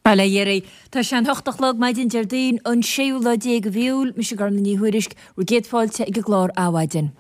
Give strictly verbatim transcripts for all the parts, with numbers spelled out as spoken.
Bail ó Dhia oraibh. Tá sé an hocht a chlog maidin Déardaoin an séú lá déag de mhí Iúil, mise Gormfhlaith Ní Thuairisg, bhur gcéad fáilte ag an gclár Adhmhaidin.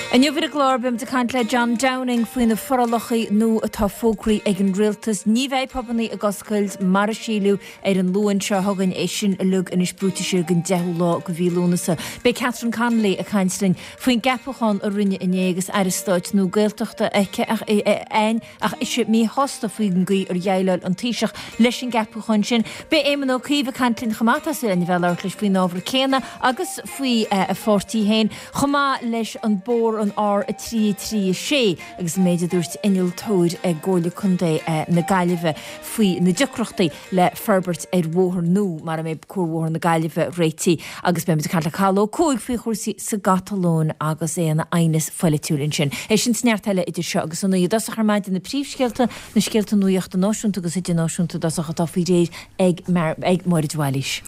Inniu ar an gclár beimid ag caint le John Downing faoi na forálacha nua atá fógraithe ag an rialtas. Ní bheidh pubannaí ag oscailt mar a síleadh ar an Luan seo chugainn, é sin uilig anois brúite siar go deichiú lá de mhí Lúnasa. Beidh Catherine Connolly ag caint linn faoin gceapachán a rinneadh inné agus Aire Stáit nua Gaeltachta aici againn ach ise míshásta faoin gcaoi ar dhéileáil an Taoiseach leis an gceapachán sin. Beidh Éamon Ó Cuív ag caint linn chomh maith, tá súil againn a bheith ag labhairt leis faoin ábhar céanna agus faoi a pháirtí féin, chomh maith leis an bóthar an R a trí a trí a sé agus an méid a dúirt innealtóir i gComhairle Contae na Gaillimhe faoi na deacrachtaí le forbairt ar bhóthar nua mara mbeidh Cuarbhóthar na Gaillimhe réitithe. Agus beimid ag caint le Cathal Ó Cuaig faoi chúrsaí sa gCatalóin agus é ina aighneas phoilitiúil ansin. É sin is neart eile idir seo agus a naoi. I dtosach ar maidin na príomhscéalta, na scéalta nuachta náisiúnta agus idirnáisiúnta i dtosach atá faoi réir ag ag Máire de Bhailís.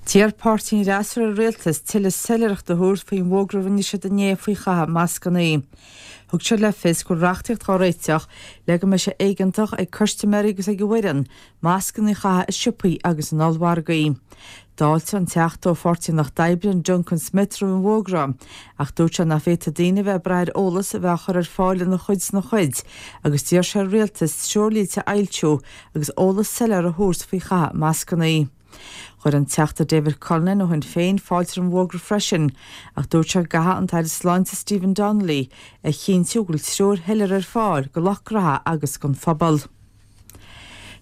D'iarr páirtí an fhreasúra ar an rialtas tuilleadh soiléireachta a thabhairt faoin bhfógra a rinne siad inné faoi chaitheamh mascanna. Thug siad le fios go bhfuil reachtaíocht á réiteach le go mbeidh sé éigeantach ag custaiméirí agus ag a bhfoireann mascanna a chaitheamh i siopaí agus in ollmhargaí. D'fháiltigh an Teachta ó Pháirtí an Lucht Oibre, Duncan Smith, roimh an bhfógra, ach dúirt sé nach bhféadfadh daoine a bheith ag brath ar eolas a bheith á chur ar fáil ina chuid 's ina chuid agus d'iarr sé ar an rialtas treoirlínte a fhoilsiú agus eolas soiléir a thabhairt faoi chaitheamh mascanna. Chuir an Teachta David Cullinane ó Shinn Féin fáilte roimh an bhfógra freisin, ach dúirt sé go gcaithfidh an tAire Sláinte Stephen Donnelly a chinntiú go bhfuil treoir shoiléir ar fáil do lucht gnótha agus don phobal.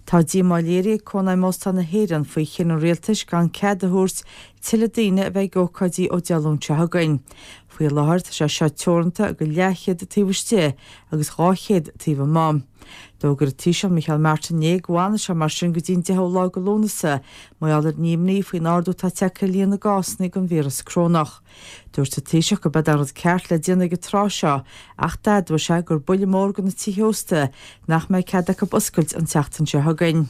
Tá díomá léirithe ag Cónaidhm Óstán na hÉireann faoi chinneadh an rialtais gan cead a thabhairt tuilleadh daoine a bheith ag ócáidí ó Dé Luain seo chugainn. Faoi láthair tá sé seo teoranta go leathchéad taobh istigh agus dhá chéad taobh amuigh. D'fhógair an Taoiseach Micheál Martin inné go bhfanfaidh sé mar sin go dtí an deichiú lá de Lúnasa mar gheall ar an imní faoin ardú atá tagtha ar líon na gcásanna den víreas corónach. Dúirt an Taoiseach gurb é an rud ceart le déanamh ag an tráth seo ach d'admhaigh sé gur buille mór do na tithe ósta nach mbeidh cead acu oscailt an tseachtain seo chugainn.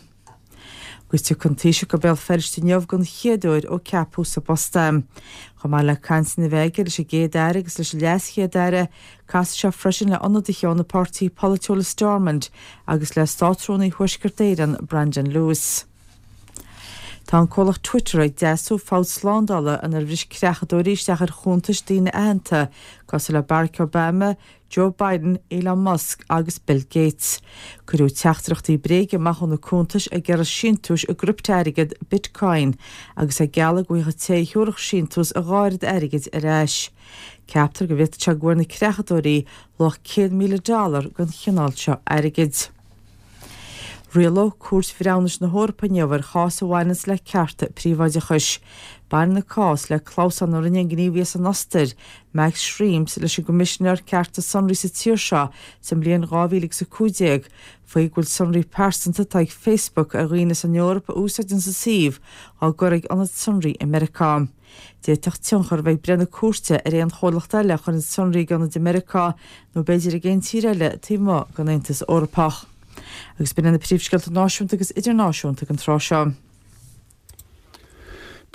Agus tiocfaidh an Taoiseach go Béal Feirste inniu den chéad uair ó ceapadh sa bpost é. Chomh maith le cainteanna a bheith aige leis an gCéad-Aire agus leis an LeasChéad-Aire, casfaidh sé freisin le ionadaithe ó na páirtithe polaitiúla i Stormont agus le Státrúnaí Thuaisceart Éireann, Brandon Lewis. Tá an comhlacht Twitter ag deasú fabht slándála inar bhris creachadóirí isteach ar chuntais daoine aitheanta cosúil le Barack Obama, Joe Biden, Elon Musk agus Bill Gates. Cuireadh teachtaireachtaí bréige amach ó na cuntais ag iarraidh síntiúis i gcripteairgead Bitcoin agus ag gealladh go bhfaigheadh an té a thabharfadh síntiús a dhá oiread airgid ar ais. Ceaptar go bhféadfadh sé go bhfuair na creachadóirí luach céad míle dollar den chineál seo airgid. Rialóidh Cúirt Bhreithiúnais na hEorpa inniu ar chás a bhaineanns le cearta príobháideachais. Baineann an cás le clamhsán a rinne an gníomhaí as an Ostair, Max Schrems, leis an gCoimisinéir Cearta Sonraí sa tír seo sa mbliain dhá mhíle agus a cúig déag faoi go bhfuil sonraí pearsanta atá ag Facebook ar dhaoine as an Eoraip a úsáideanns an suíomh á gcur ag ionad sonraí i Meiriceá. D'fhéadfadh tionchar a bheith ag breith na cúirte ar aon chomhlacht eile a chuireann sonraí ag ionaid i Meiriceá nó b'fhéidir ag aon tír eile taobh amuigh den Aontas Eorpach. Agus b'in iad na príomhscéalta náisiúnta agus idirnáisiúnta ag an tráth seo.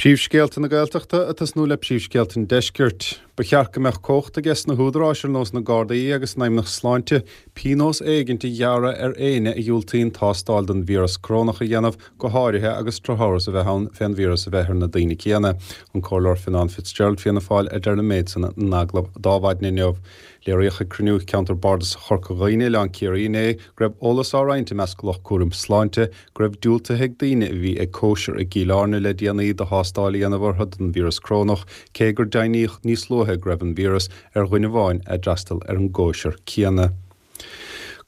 Príomhscéalta na Gaeltachta ag tosnú le príomhscéalta an Deiscirt. Ba cheart go mbeadh cumhacht aige sna húdaráis ar nós na Gardaí agus an Fheidhmeannacht Sláinte pionós éigint a ghearradh ar éinne a dhiúltaíonn tástáil don víreas corónach a dhéanamh, go háirithe agus drochamhras a bheith ann fén víreas a bheith ar na daoine céanna. An Comhairleoir Fionnán Fitzgerald, Fianna Fáil, a deir an méid san in agallamh d'Adhmhaidin inniu. Léiríodh ag cruinniú Cheantar Bardasach Chorca Dhuibhne, Oileán Ciarraí inné go raibh eolas á roinnt i measc lucht cúraim sláinte go raibh diúltaithe ag daoine a bhí ag cóisir i gCill Airne le déanaí do thástáil a dhéanamh orthu don víreas corónach, cé gur deimhníodh níos luaithe go raibh an víreas ar dhuine amháin a d'fhreastail ar an gcóisir céanna.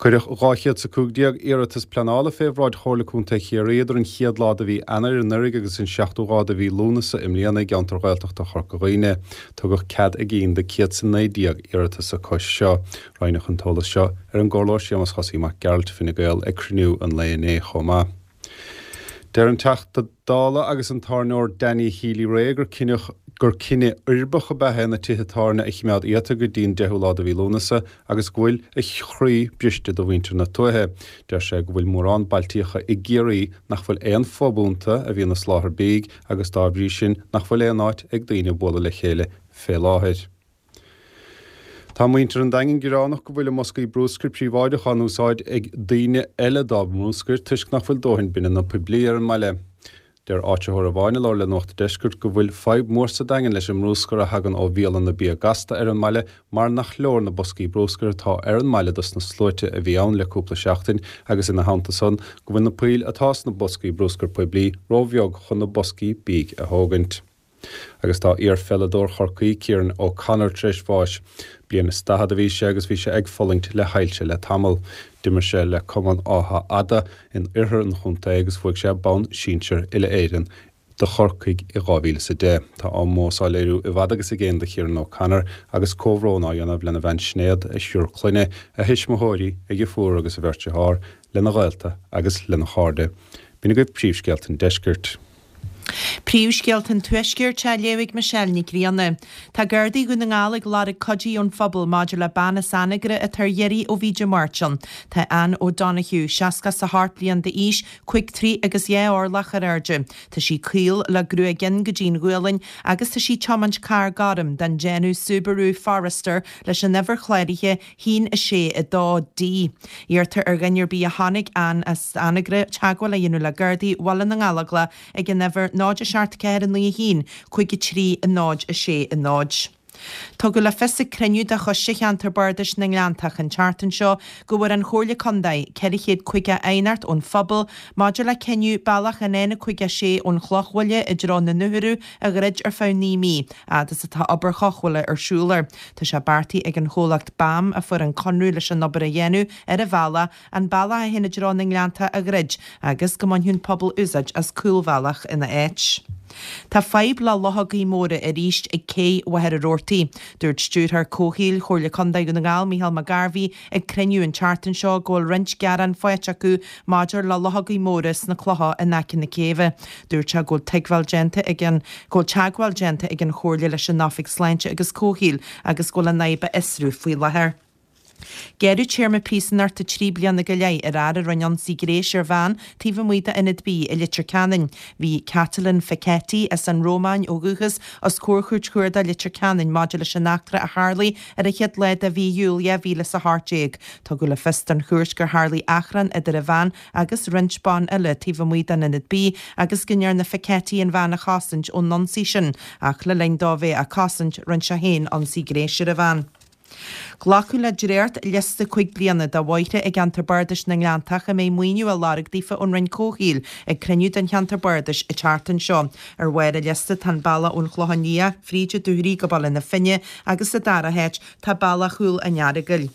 Cuireadh dhá chéad 's a cúig déag iarratas pleanála fé bhráid Chomhairle Contae Chiarraí idir an chéad lá de mhí Eanáir anuraidh agus an seachtú lá de mhí Lúnasa i mbliana i gceantar Ghaeltachta Chorca Dhuibhne. Tugadh cead a gcinn do céad 's a naoi déag iarratas acu seo. Roinneadh an t-eolas seo ar an gComhairleoir Séamus Chosaí Mac Gearailt, Fine Gael, ag cruinniú an lae inné chomh maith. Deir an Teachta Dála agus an tábhairneoir Danny Healy-Rae gur cinneadh gur cinneadh uirbeach ab ea é na tithe tábhairne a chimeád iata go dtí an deichiú lá de mhí Lúnasa agus go bhfuil a chroí briste do mhuintir na tuaithe. Deir sé go bhfuil mórán bailtíocha i gCiarraí nach bhfuil aon phub iontu a bhíonn ag soláthar bídh agus dá bhrí sin nach bhfuil aon áit ag daoine bualadh le chéile fé láthair. Tá muintir an Daingin gearánach go bhfuil a mboscaí bruscair príobháideach á n-úsáid ag daoine eile dá mbruscar toisc nach bhfuil dóthain bineanna poiblí ar an mbaile. Deir áitritheoir amháin a labhair le Nuacht an Deiscirt go bhfuil fadhb mhór sa Daingean leis an mbruscar a thagann ó bhialanna bia gasta ar an mbaile mar nach leor na boscaí bruscair atá ar an mbaile dos na sluaite a bhí ann le cúpla seachtain agus ina theannta san go bhfuil na poill atá sna boscaí bruscair poiblí róbheag chun na boscaí bídh a thógaint. Agus tá iarpheileadóir Chorcaí Kieran O'Connor tar éis bháis. Bliain is daichead a bhí sé agus bhí sé ag fulaingt le hailse le tamall. D'imir sé le Cumann Átha Fhada in oirthear an chontae agus bhuaigh sé bonn sinsir uile-Éireann do Chorcaigh i dhá mhíle is a deich. Tá ómós á léiriú i bhfad agus i gcéin do Kieran O'Connor agus comhbhrón á dhéanamh lena bhean Sinéad, a thriúr clainne, a thuismitheoirí, a dheirfiúr agus a bheirt dearthár, lena ghaolta agus lena chairde. B'in agaibh príomhscéalta an deiscirt. Príomhscéalta an Tuaiscirt á léamh ag Michelle Nic Grianna. Tá Gardaí Dhún na nGall ag lorg cuidí ón phobal maidir le bean as Anagaire atá ar iarraidh ó bhí Dé Máirt ann. Tá Anne O'Donoghue, seasca is a hocht bliain d'aois, cúig troigh agus dhá orlach ar airde. Tá sí caol le gruaig fhionn go dtí'n ghualainn agus tá sí ag tiomáint carr gorm den déanamh Subaru Forester leis an uimhir chláraithe haon a sé a dó D. Iarrtar ar dhuine ar bith a chonaic Anne as Anagaire teagmháil a dhéanamh le Gardaí Bhaile na nGallóglach ag an uimhir náid a seacht ceathair a naoi a haon, cúig a trí a náid a sé a náid. Tugadh le fios ag cruinniú de Choiste Cheantar Bardais na nGleanntach an tseachtain seo go bhfuair an Chomhairle Contae ceithre chéad caoga aighneacht ón phobal maidir le cinneadh bealach an N caoga a sé ón Chlochbhaile i dtreo na nDútharadh a dhruid ar feadh naoi mí, fhad is atá obair chothabhála ar siúl air. Tá sé beartaithe ag an chomhlacht BAM a fuair an conradh leis an obair a dhéanamh ar an bhealach, an bealach a théann i dtreo na nGleannta a dhruid agus go mbainfeadh an pobal úsáid as cúlbhealach ina áit. Tá fadhb le luchógaí móra arís ag cé Mhachaire Rabhartaigh. Dúirt Stiúrthóir Comhshaoil Chomhairle Contae Dhún na nGall, Micheál Mac Gairbhí, ag cruinniú an tseachtain seo go bhfuil roinnt gearán faighte acu maidir le luchógaí móra sna clocha in aice na céibhe. Dúirt sé go bhfuil tuigbheáil déanta ag an go bhfuil teagmháil déanta ag an Chomhairle leis an Oifig Sláinte agus Comhshaoil agus go bhfuil an fhadhb á fhiosrú faoi láthair. Gearradh téarma príosúnachta trí bliana go leith ar fhear a rinne ionsaí gnéis ar bhean taobh amuigh d'ionad bídh i Leitir Ceanainn. Bhí Catalin Facchetti, as an Rómáin ó dhúchas, os comhair Chúirt Chuarda Leitir Ceanainn maidir leis an eachtra a tharlaigh ar an chéad lá de mhí Iúil dhá mhíle is a hocht déag. Tugadh le fios don chúirt gur tharlaigh achrann idir an bhean agus roinnt ban eile taobh amuigh den ionad bídh agus go ndearna Facchetti an bhean a chosaint ón ionsaí sin ach le linn dó bheith á cosaint rinne sé féin ionsaí gnéis ar an bhean. Glacadh le dréacht liosta cúig bliana de bhóithre i gceantar Bardais na nGleanntach a mbeidh maoiniú á lorg daofa ón Roinn Comhshaoil ag cruinniú den cheantar bardais an tseachtain seo. Ar bharr an liosta tá an bealach ón Chlochán Liath fríd an Dúchoraidh go Baile na Finne agus sa dara háit tá bealach Chúil an Earagail.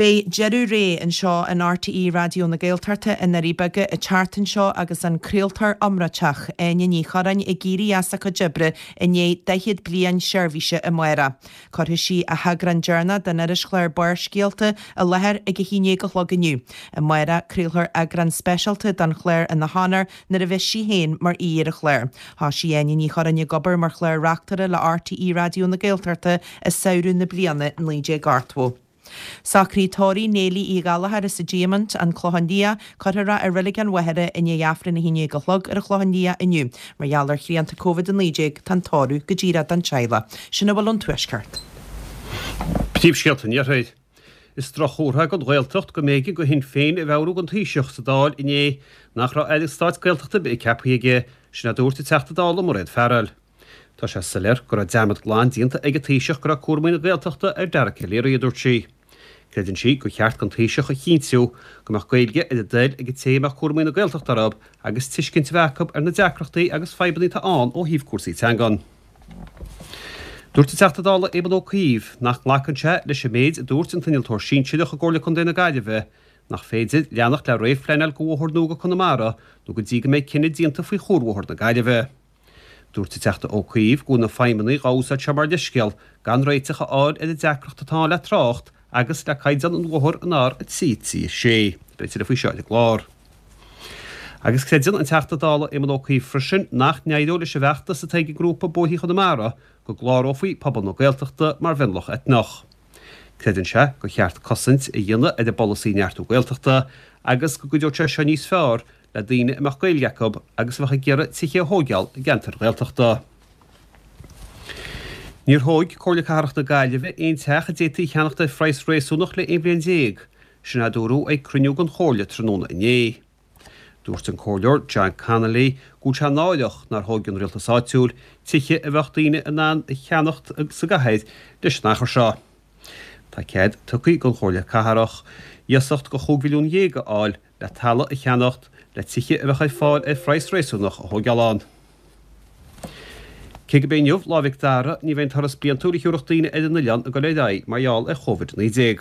Beidh deireadh ré anseo in RTÉ Raidió na Gaeltachta i nDoirí Beaga an tseachtain seo agus an craoltóir iomráiteach, Áine Ní Churráin ag éirí as a cuid oibre i ndiaidh daichead bliain seirbhíse amárach. Cuirfidh sí a heagrán deireanach den irischlár Barrscéalta i láthair ag a haon déag a chlog inniu. Amárach, craolfar eagrán speisialta den chlár ina honóir nuair a bheas sí féin mar aoi ar an chlár. Thosaigh Áine Ní Churráin ag obair mar chlár-reachtaire le RTÉ Raidió na Gaeltachta i samhradh na bliana naoi déag ochtó. Socruithe tórraimh Néilí Uí Ghallchóir as an Diamant, An Clochán Liath, cuirfear é i Reilig an Mhachaire i ndiaidh Aifreann a haon déag a chlog ar an Chlochán Liath inniu. Mar gheall ar shrianta Covid a naoi déag, tá an tórramh go díreach don teaghlach. Sin a bhfuil ón Tuaisceart. Príomhscéalta an Iarthair. Is droch-chomhartha don Ghaeltacht go mb'éigean do Shinn Féin a mheabhrú don Taoiseach sa Dáil inné nach raibh Aire Stáit Gaeltachta ar bith ceaptha aige, sin a dúirt an Teachta Dála Mairéad Farrell. Tá sé soiléir go raibh dearmad glan déanta ag an Taoiseach go raibh cúramaí na Gaeltachta ar Dara Calleary, a dúirt sí. Creideann sí gur cheart don Taoiseach a chinntiú go mbeadh Gaeilge ar a dtoil ag an té a mbeadh cúramaí na Gaeltachta orthu agus tuiscint a bheith acu ar na deacrachtaí agus fadhbanna atá ann ó thaobh cúrsaí teangan. Dúirt an Teachta Dála Éamon Ó Cuív nach nglacann sé leis an méid a dúirt an t-innealtóir sinsearach i gComhairle Contae na Gaillimhe nach féidir leanacht le réamhphleanáil do bhóthar nua go Conamara nó go dtí go mbeidh cinneadh déanta faoi chuarbhóthar na Gaillimhe. Dúirt an Teachta Ó Cuív go bhfuil na feidhmeannaigh dhá úsáid seo mar leithscéal gan réiteach a fháil ar an deacracht atá ann le trácht agus le caighdeán an bhóthair an R a trí trí a sé. Beidh tuilleadh faoi seo ar an gclár. Agus creideann an Teachta Dála Éamon Ó Cuív freisin nach n-éireoidh leis an bhfeachtas atá ag an ngrúpa Bóithre Chonamara go gclárófaí pobal na Gaeltachta mar mhionlach eitneach. Creideann sé gur cheart cosaint a dhéanamh ar an bpolasaí Neartú Gaeltachta agus go gcuideodh sé seo níos fearr le daoine a mbeadh Gaeilge acu agus a bheadh ag iarraidh tithe a thóigeáil i gceantair Ghaeltachta. Níor thóg Comhairle Cathrach na Gaillimhe aon teach a d'fhéadfaí a cheannacht ar phraghas réasúnach le aon bhliain déag, sin a dúradh ag cruinniú den Chomhairle tráthnóna inné. Dúirt an Comhairleoir John Connolly go bhfuil sé náireach nár thóg an rialtas áitiúil tithe a bheadh daoine in ann a cheannacht sa gcathair leis an achar seo. Tá cead tugtha don Chomhairle Cathrach iasacht de chúig mhilliún dhéag a fháil le talamh a cheannacht le tithe a bheadh ar fáil ar phraghas réasúnach a thógáil ann. Cé gurb é inniu Lá Mhic Dara, ní bheidh an turas bliantúil a thiúrfadh daoine ar an oileán ag dul ar aghaidh mar gheall ar Chóivid a naoi déag.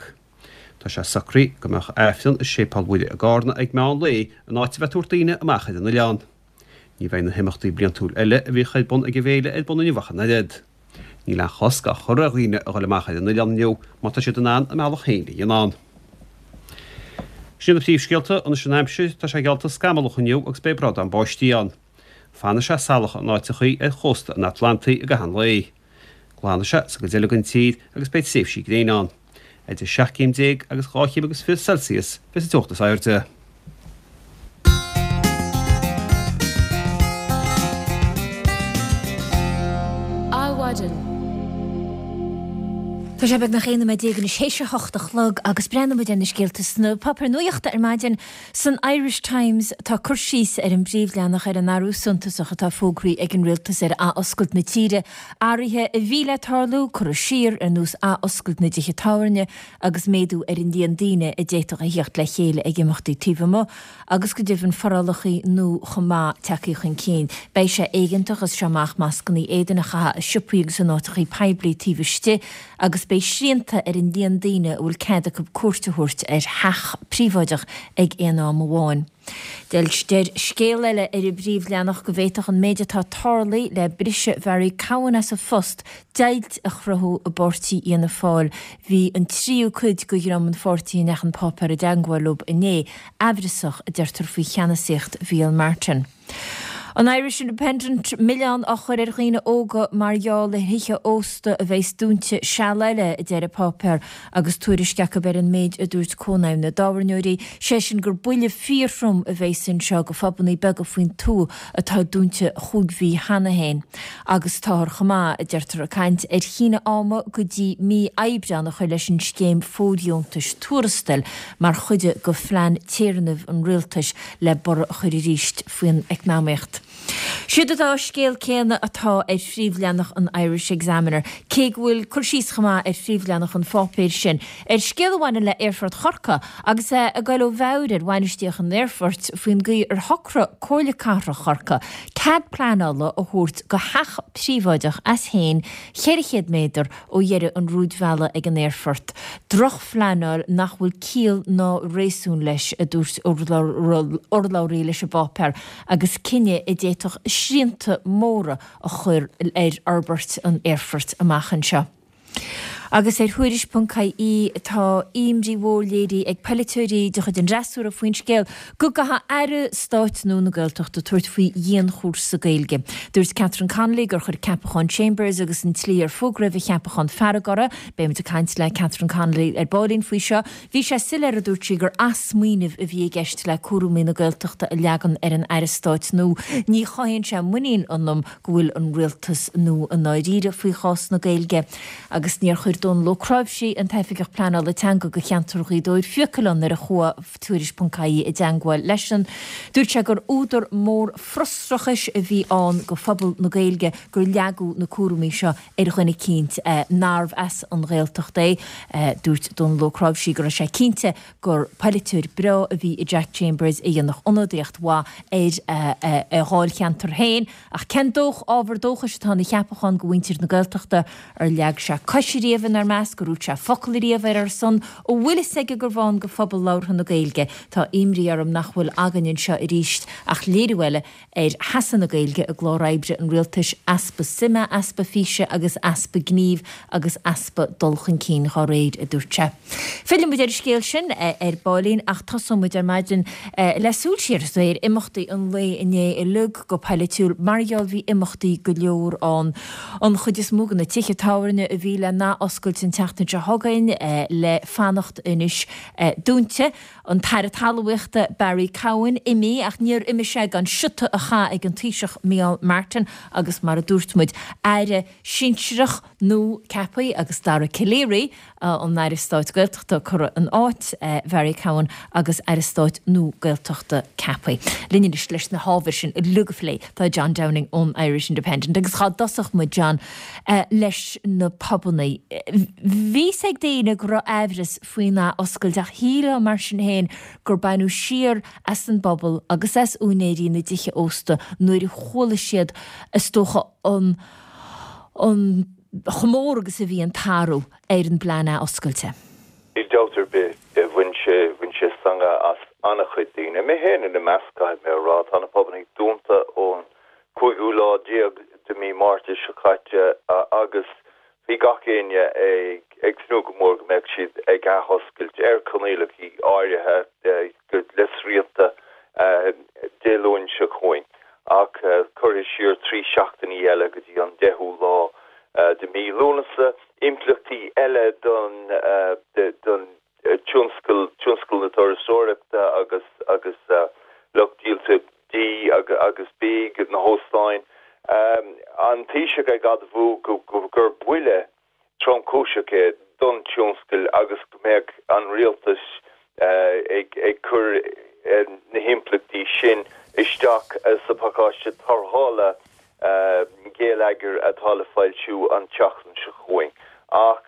Tá sé socraithe go mbeadh Aifreann i Séipéal Mhuire i gCarna ag meán lae in áit a bheith ag tabhairt daoine amach ar an oileán. Ní bheidh na himeachtaí bliantúil eile a bhíodh ar bun ag an bhféile ar bun inniu ach an oiread. Níl aon chosc á chur ar dhaoine a dhul amach ar an oileán inniu má tá siad in ann a mbealach féin a dhéanamh ann. Sin iad na príomhscéalta, anois an aimsir, tá sé geallta scamallach inniu agus beidh brádán báistí ann. Fanfaidh sé salach in áiteachaí ar chósta an Atlantaigh i gcaitheamh an lae. Glanfaidh sé sa gcuid eile den tír agus beidh tréimhsí gréine ann. Idir seacht gcéim déag agus dhá chéim agus fiche Celsius bheas an teocht is airde. Adhmhaidin. Tá sé beagnach aon nóiméad déag anois théis a hocht a chlog agus breathnóidh muid ar na scéalta sna páipéir nuachta ar maidin. San Irish Times tá cur síos ar an bpríomhleathanach ar an athrú suntasach atá fógraithe ag an rialtas ar athoscailt na tíre, athruithe a bhí le tarlú, curtha siar, ar nós athoscailt na dtithe tábhairne agus méadú ar an líon daoine a d'fhéadfadh a theacht le chéile ag imeachtaí taobh amuigh agus go deimhin forálacha nua chomh maith tagtha chun cinn. Beidh sé éigeantach as seo amach mascanna éadain a chaitheamh i siopaí agus in áiteacha poiblí taobh istigh agus beidh srianta ar an líon daoine a bhfuil cead acu cuairt a thabhairt ar theach príobháideach ag aon am amháin. Deir scéal eile ar an bpríomhleathanach go bhféadfadh an méid atá tarlaithe le briseadh Bharry Cowen as a phost deighilt a chruthú i bpáirtí Fhianna Fáil. Bhí an tríú cuid de dhream an pháirtí a ndeachaigh an páipéar i dteagmháil leo inné aimhreasach, a deirtear faoi cheannasaíocht Mhicheál Martin. An Irish Independent, Milleán á chur ar dhaoine óga mar gheall ar thithe ósta a bheas dúnta seal eile, a deir an páipéar, agus tuairisc acu ar an méid a dúirt Cónaidhm na dTábhairneoirí, sé sin gur buille fíorthrom a bheas anseo go phubannaí beaga faoin tuath atá dúnta chúig mhí cheana féin. Agus táthar chomh maith, a deirtear, ag caint ar shíneadh ama go dtí mí Aibreán a chur leis an scéim fóirdheontais tuarastail mar chuid de phlean téarnaimh an rialtais le borradh a chur arís faoin eacnamaíocht. Siad an dá scéal céanna atá ar phríomhleathanach an Irish Examiner, cé go bhfuil cur síos chomh maith ar phríomhleathanach an pháipéir sin ar scéal a bhaineann le Aerfort Chorcaí agus é ag goil ó mheabhair ar bhainistíocht an aerfoirt faoin gcaoi ar shocraigh Comhairle Cathrach Chorcaí cead pleanála a thabhairt go theach príobháideach as féin ceithre chéad méadar ó dheireadh an rúidbhealaigh ag an aerfort. Drochphleanáil nach bhfuil ciall ná réasún leis, a dúirt urlabhraí leis an bpáipéar, agus cinneadh a d'fhéadfadh srianta móra a chur ar fhorbairt an aerfoirt amach anseo. Agus ar Thuairisc ponc ie tá imní mhór léirithe ag polaiteoirí de chuid an fhreasúra faoin scéal go gcaithfidh Aire Stáit nua na Gaeltachta tabhairt faoi dhianchúrsa Gaeilge. Dúirt Catherine Connolly gur chuir ceapachán Chambers agus an tslí ar fógraíodh a cheapachán fearg orthu. Beimid ag caint le Catherine Connolly ar baillín faoi seo. Bhí sé soiléir, a dúirt sí, gur athsmaoineamh a bhí i gceist le cúraimí na Gaeltachta a leagan ar an Aire Stáit nua. Ní chothaíonn sé muinín ionam go bhfuil an rialtas nua i ndáiríre faoi chás na Gaeilge. Agus níor chuir Dónal Ó Cnáimhsí, an tOifigeach Pleanála Teanga do cheantar Ghaoth Dobhair, fiacail ann nuair a chuaigh Tuairisc ponc ie i dteangmháil leisean. Dúirt sé gur údar mór frustrachais a bhí ann do phobal na Gaeilge gur leagadh na cúraimí seo ar dhuine eicínt nárbh as an Ghaeltacht é. Dúirt Dónal Ó Cnáimhsí go raibh sé cinnte gur polaiteoir breá a bhí i Jack Chambers a dhéanfadh ionadaíocht mhaith ar a dháilcheantar féin. Ach cén dóch, ábhar dóchais atá ina cheapachán do mhuintir na Gaeltachta? Ar leag sé cois ariamh inár measc? Ar dhúirt sé focal ariamh ar ár son? An bhfuil fhios aige gurbh ann do phobal labhartha na Gaeilge? Tá imní orm nach bhfuil againn anseo arís ach léiriú eile ar sheasamh na Gaeilge i gclár oibre an rialtais, easpa suime, easpa físe agus easpa gnímh agus easpa dul chun cinn dhá réir, a dúirt sé. Fillfidh muid ar an scéal sin ar baillín ach tosóidh muid ar maidin le súil siar ar imeachtaí an lae inné uilig go poilitiúil mar gheall bhí imeachtaí go leor ann. An chuid is mó de na tithe tábhairne a bhí le n-athoscailt oscailt an tseachtain seo chugainn le fanacht anois dúnta. An tAire Talmhaíochta Barry Cowen imithe ach níor imigh sé gan siota a chaitheamh ag an Taoiseach Micheál Martin agus mar a dúirt muid, Aire sinsearach nua ceaptha agus Dara Calleary an Aire Stáit Gaeltachta curtha in áit Bharry Cowen agus Aire Stáit nua Gaeltachta ceaptha. Linn anois leis na hábhair sin uilig a phlé tá John Downing ón Irish Independent agus cá dtosódh muid John leis na pubannaí. Bhí fhios ag daoine go raibh aimhreas faoin athoscailt ach shílfeá mar sin féin gur baineadh siar as an bpobal agus as úinéirí na dtithe ósta nuair a chuala siad is dócha an an chomh mór agus a bhí an t-athrú ar an bplean athoscailte. Níl dabht ar bith, bhain sé bhain sé stangadh as an-chuid daoine. Mé féin ina measc, caithfidh mé a rá, tá na pubannaí dúnta ón cúigiú lá déag de mí Márta seo caite agus bhí gach éinne ag tnúth go mór go mbeadh siad ag athoscailt ar choinníollacha áirithe le srianta Dé Luain seo chugainn ach curtha siar trí seachtainí eile go dtí an deichiú lá de mí Lúnasa. Impleachtaí eile don don tionscal tionscal na turasóireachta agus agus lucht díolta dí agus bídh, na hóstáin. An Taoiseach ag admhú gur buille tromchúiseach é don tionscal agus go mbeadh an rialtas ag cur na himpleachtaí sin isteach sa phacáiste tarrthála geilleagair atá le foilsiú an tseachtain seo chugainn. Ach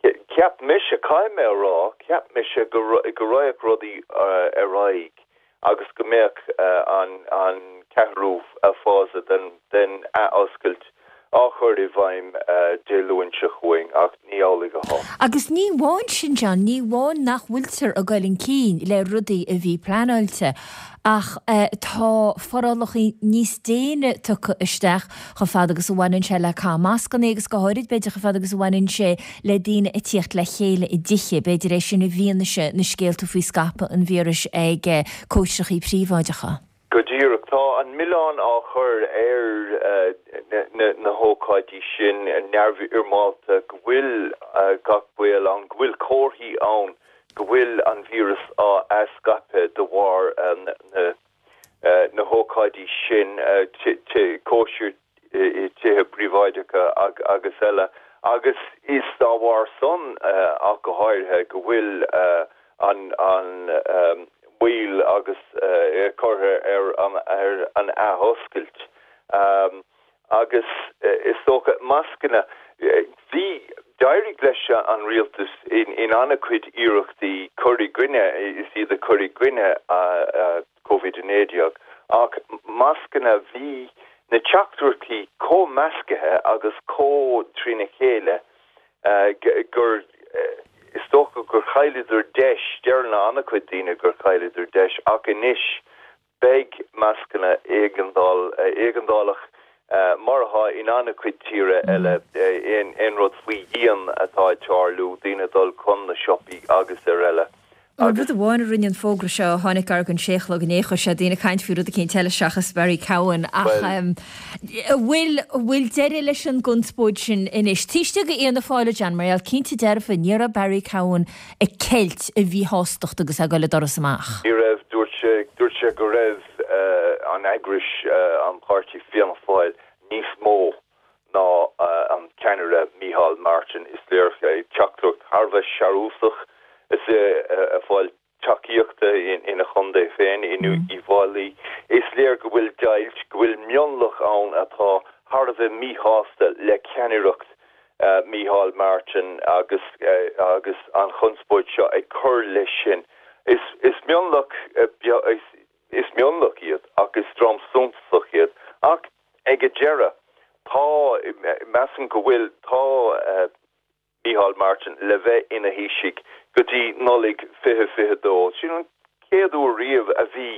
cheap mise, caithfidh mé a rá, cheap mise go raghadh rudaí ar aghaidh agus go mbeadh an ceathrú fása den athoscailt á chur i bhfeidhm Dé Luain seo chugainn, ach ní amhlaidh atá. Agus ní amháin sin, John, ní amháin nach bhfuiltear ag dul chun cinn le rudaí a bhí pleanáilte, ach tá forálacha níos déine tugtha isteach chomh fada agus a bhaineann sé le caitheamh mascanna agus go háirid, b'fhéidir, chomh fada agus a bhaineann sé le daoine ag tíocht le chéile i dtithe, b'fhéidir é sin i bhfianaise na scéalta faoi scaipeadh an víris ag cóisireacha príobháideacha. Go díreach, tá an milleán á chur ar na hócáidí sin neamhfhoirmeálta go bhfuil gach baol ann, go bhfuil comharthaí ann go bhfuil an víreas á scaipeadh de bharr na hócáidí sin, cóisir i tithe príobháideacha agus eile, agus is dá bharr san ach go háirithe go bhfuil an mhoill agus curtha ar an athoscailt agus is dócha mascanna. Bhí, d'éirigh leis an rialtas in an-chuid iarrachtaí cur i gcoinne, is iad a chur i gcoinne Covid a naoi déag ach mascanna, bhí na teachtaireachtaí chomh measctha agus chomh trína chéile gur is dócha gur chailleadar deis, deireann an-chuid daoine gur chailleadar deis, ach anois beidh mascanna éigeandálach mar atá in an-chuid tíre eile, aon rud faoi dhíon atá ag tarlú, daoine ag dul chun na siopaí agus ar eile. An rud amháin a rinne an fógra seo a tháinig gar don sé a chlog inné, chuir sé daoine ag caint faoi rud eicínt eile seachas Barry Cowen ach an bhfuil bhfuil deireadh leis an gconspóid sin anois? Taobh istigh d'Fhianna Fáil a John, mar gheall cinnte dearfa ní raibh Barry Cowen ag ceilt a mhíshástacht agus é ag dul an doras amach. Ní raibh, dúirt sé, dúirt sé go raibh an eagrais, an páirtí Fianna Fáil níos mó ná an ceannaire Micheál Martin. Is léir teachtaireacht thar a bheith searúsach is é ag fáil tacaíochta ina chontae féin, in Uíbh Fhailí. Is léir go bhfuil deighilt, go bhfuil mionlach ann atá thar a bheith míshásta le ceannaireacht Micheál Martin agus agus an chonspóid seo ag cur leis sin. Is is mionlach is mionlach iad ach is dream suntasach iad. Ach ag an deireadh, tá, measaim go bhfuil, tá Micheál Martin le bheith ina Thaoiseach go dtí Nollaig fiche fiche dó. Sin an chéad uair riamh a bhí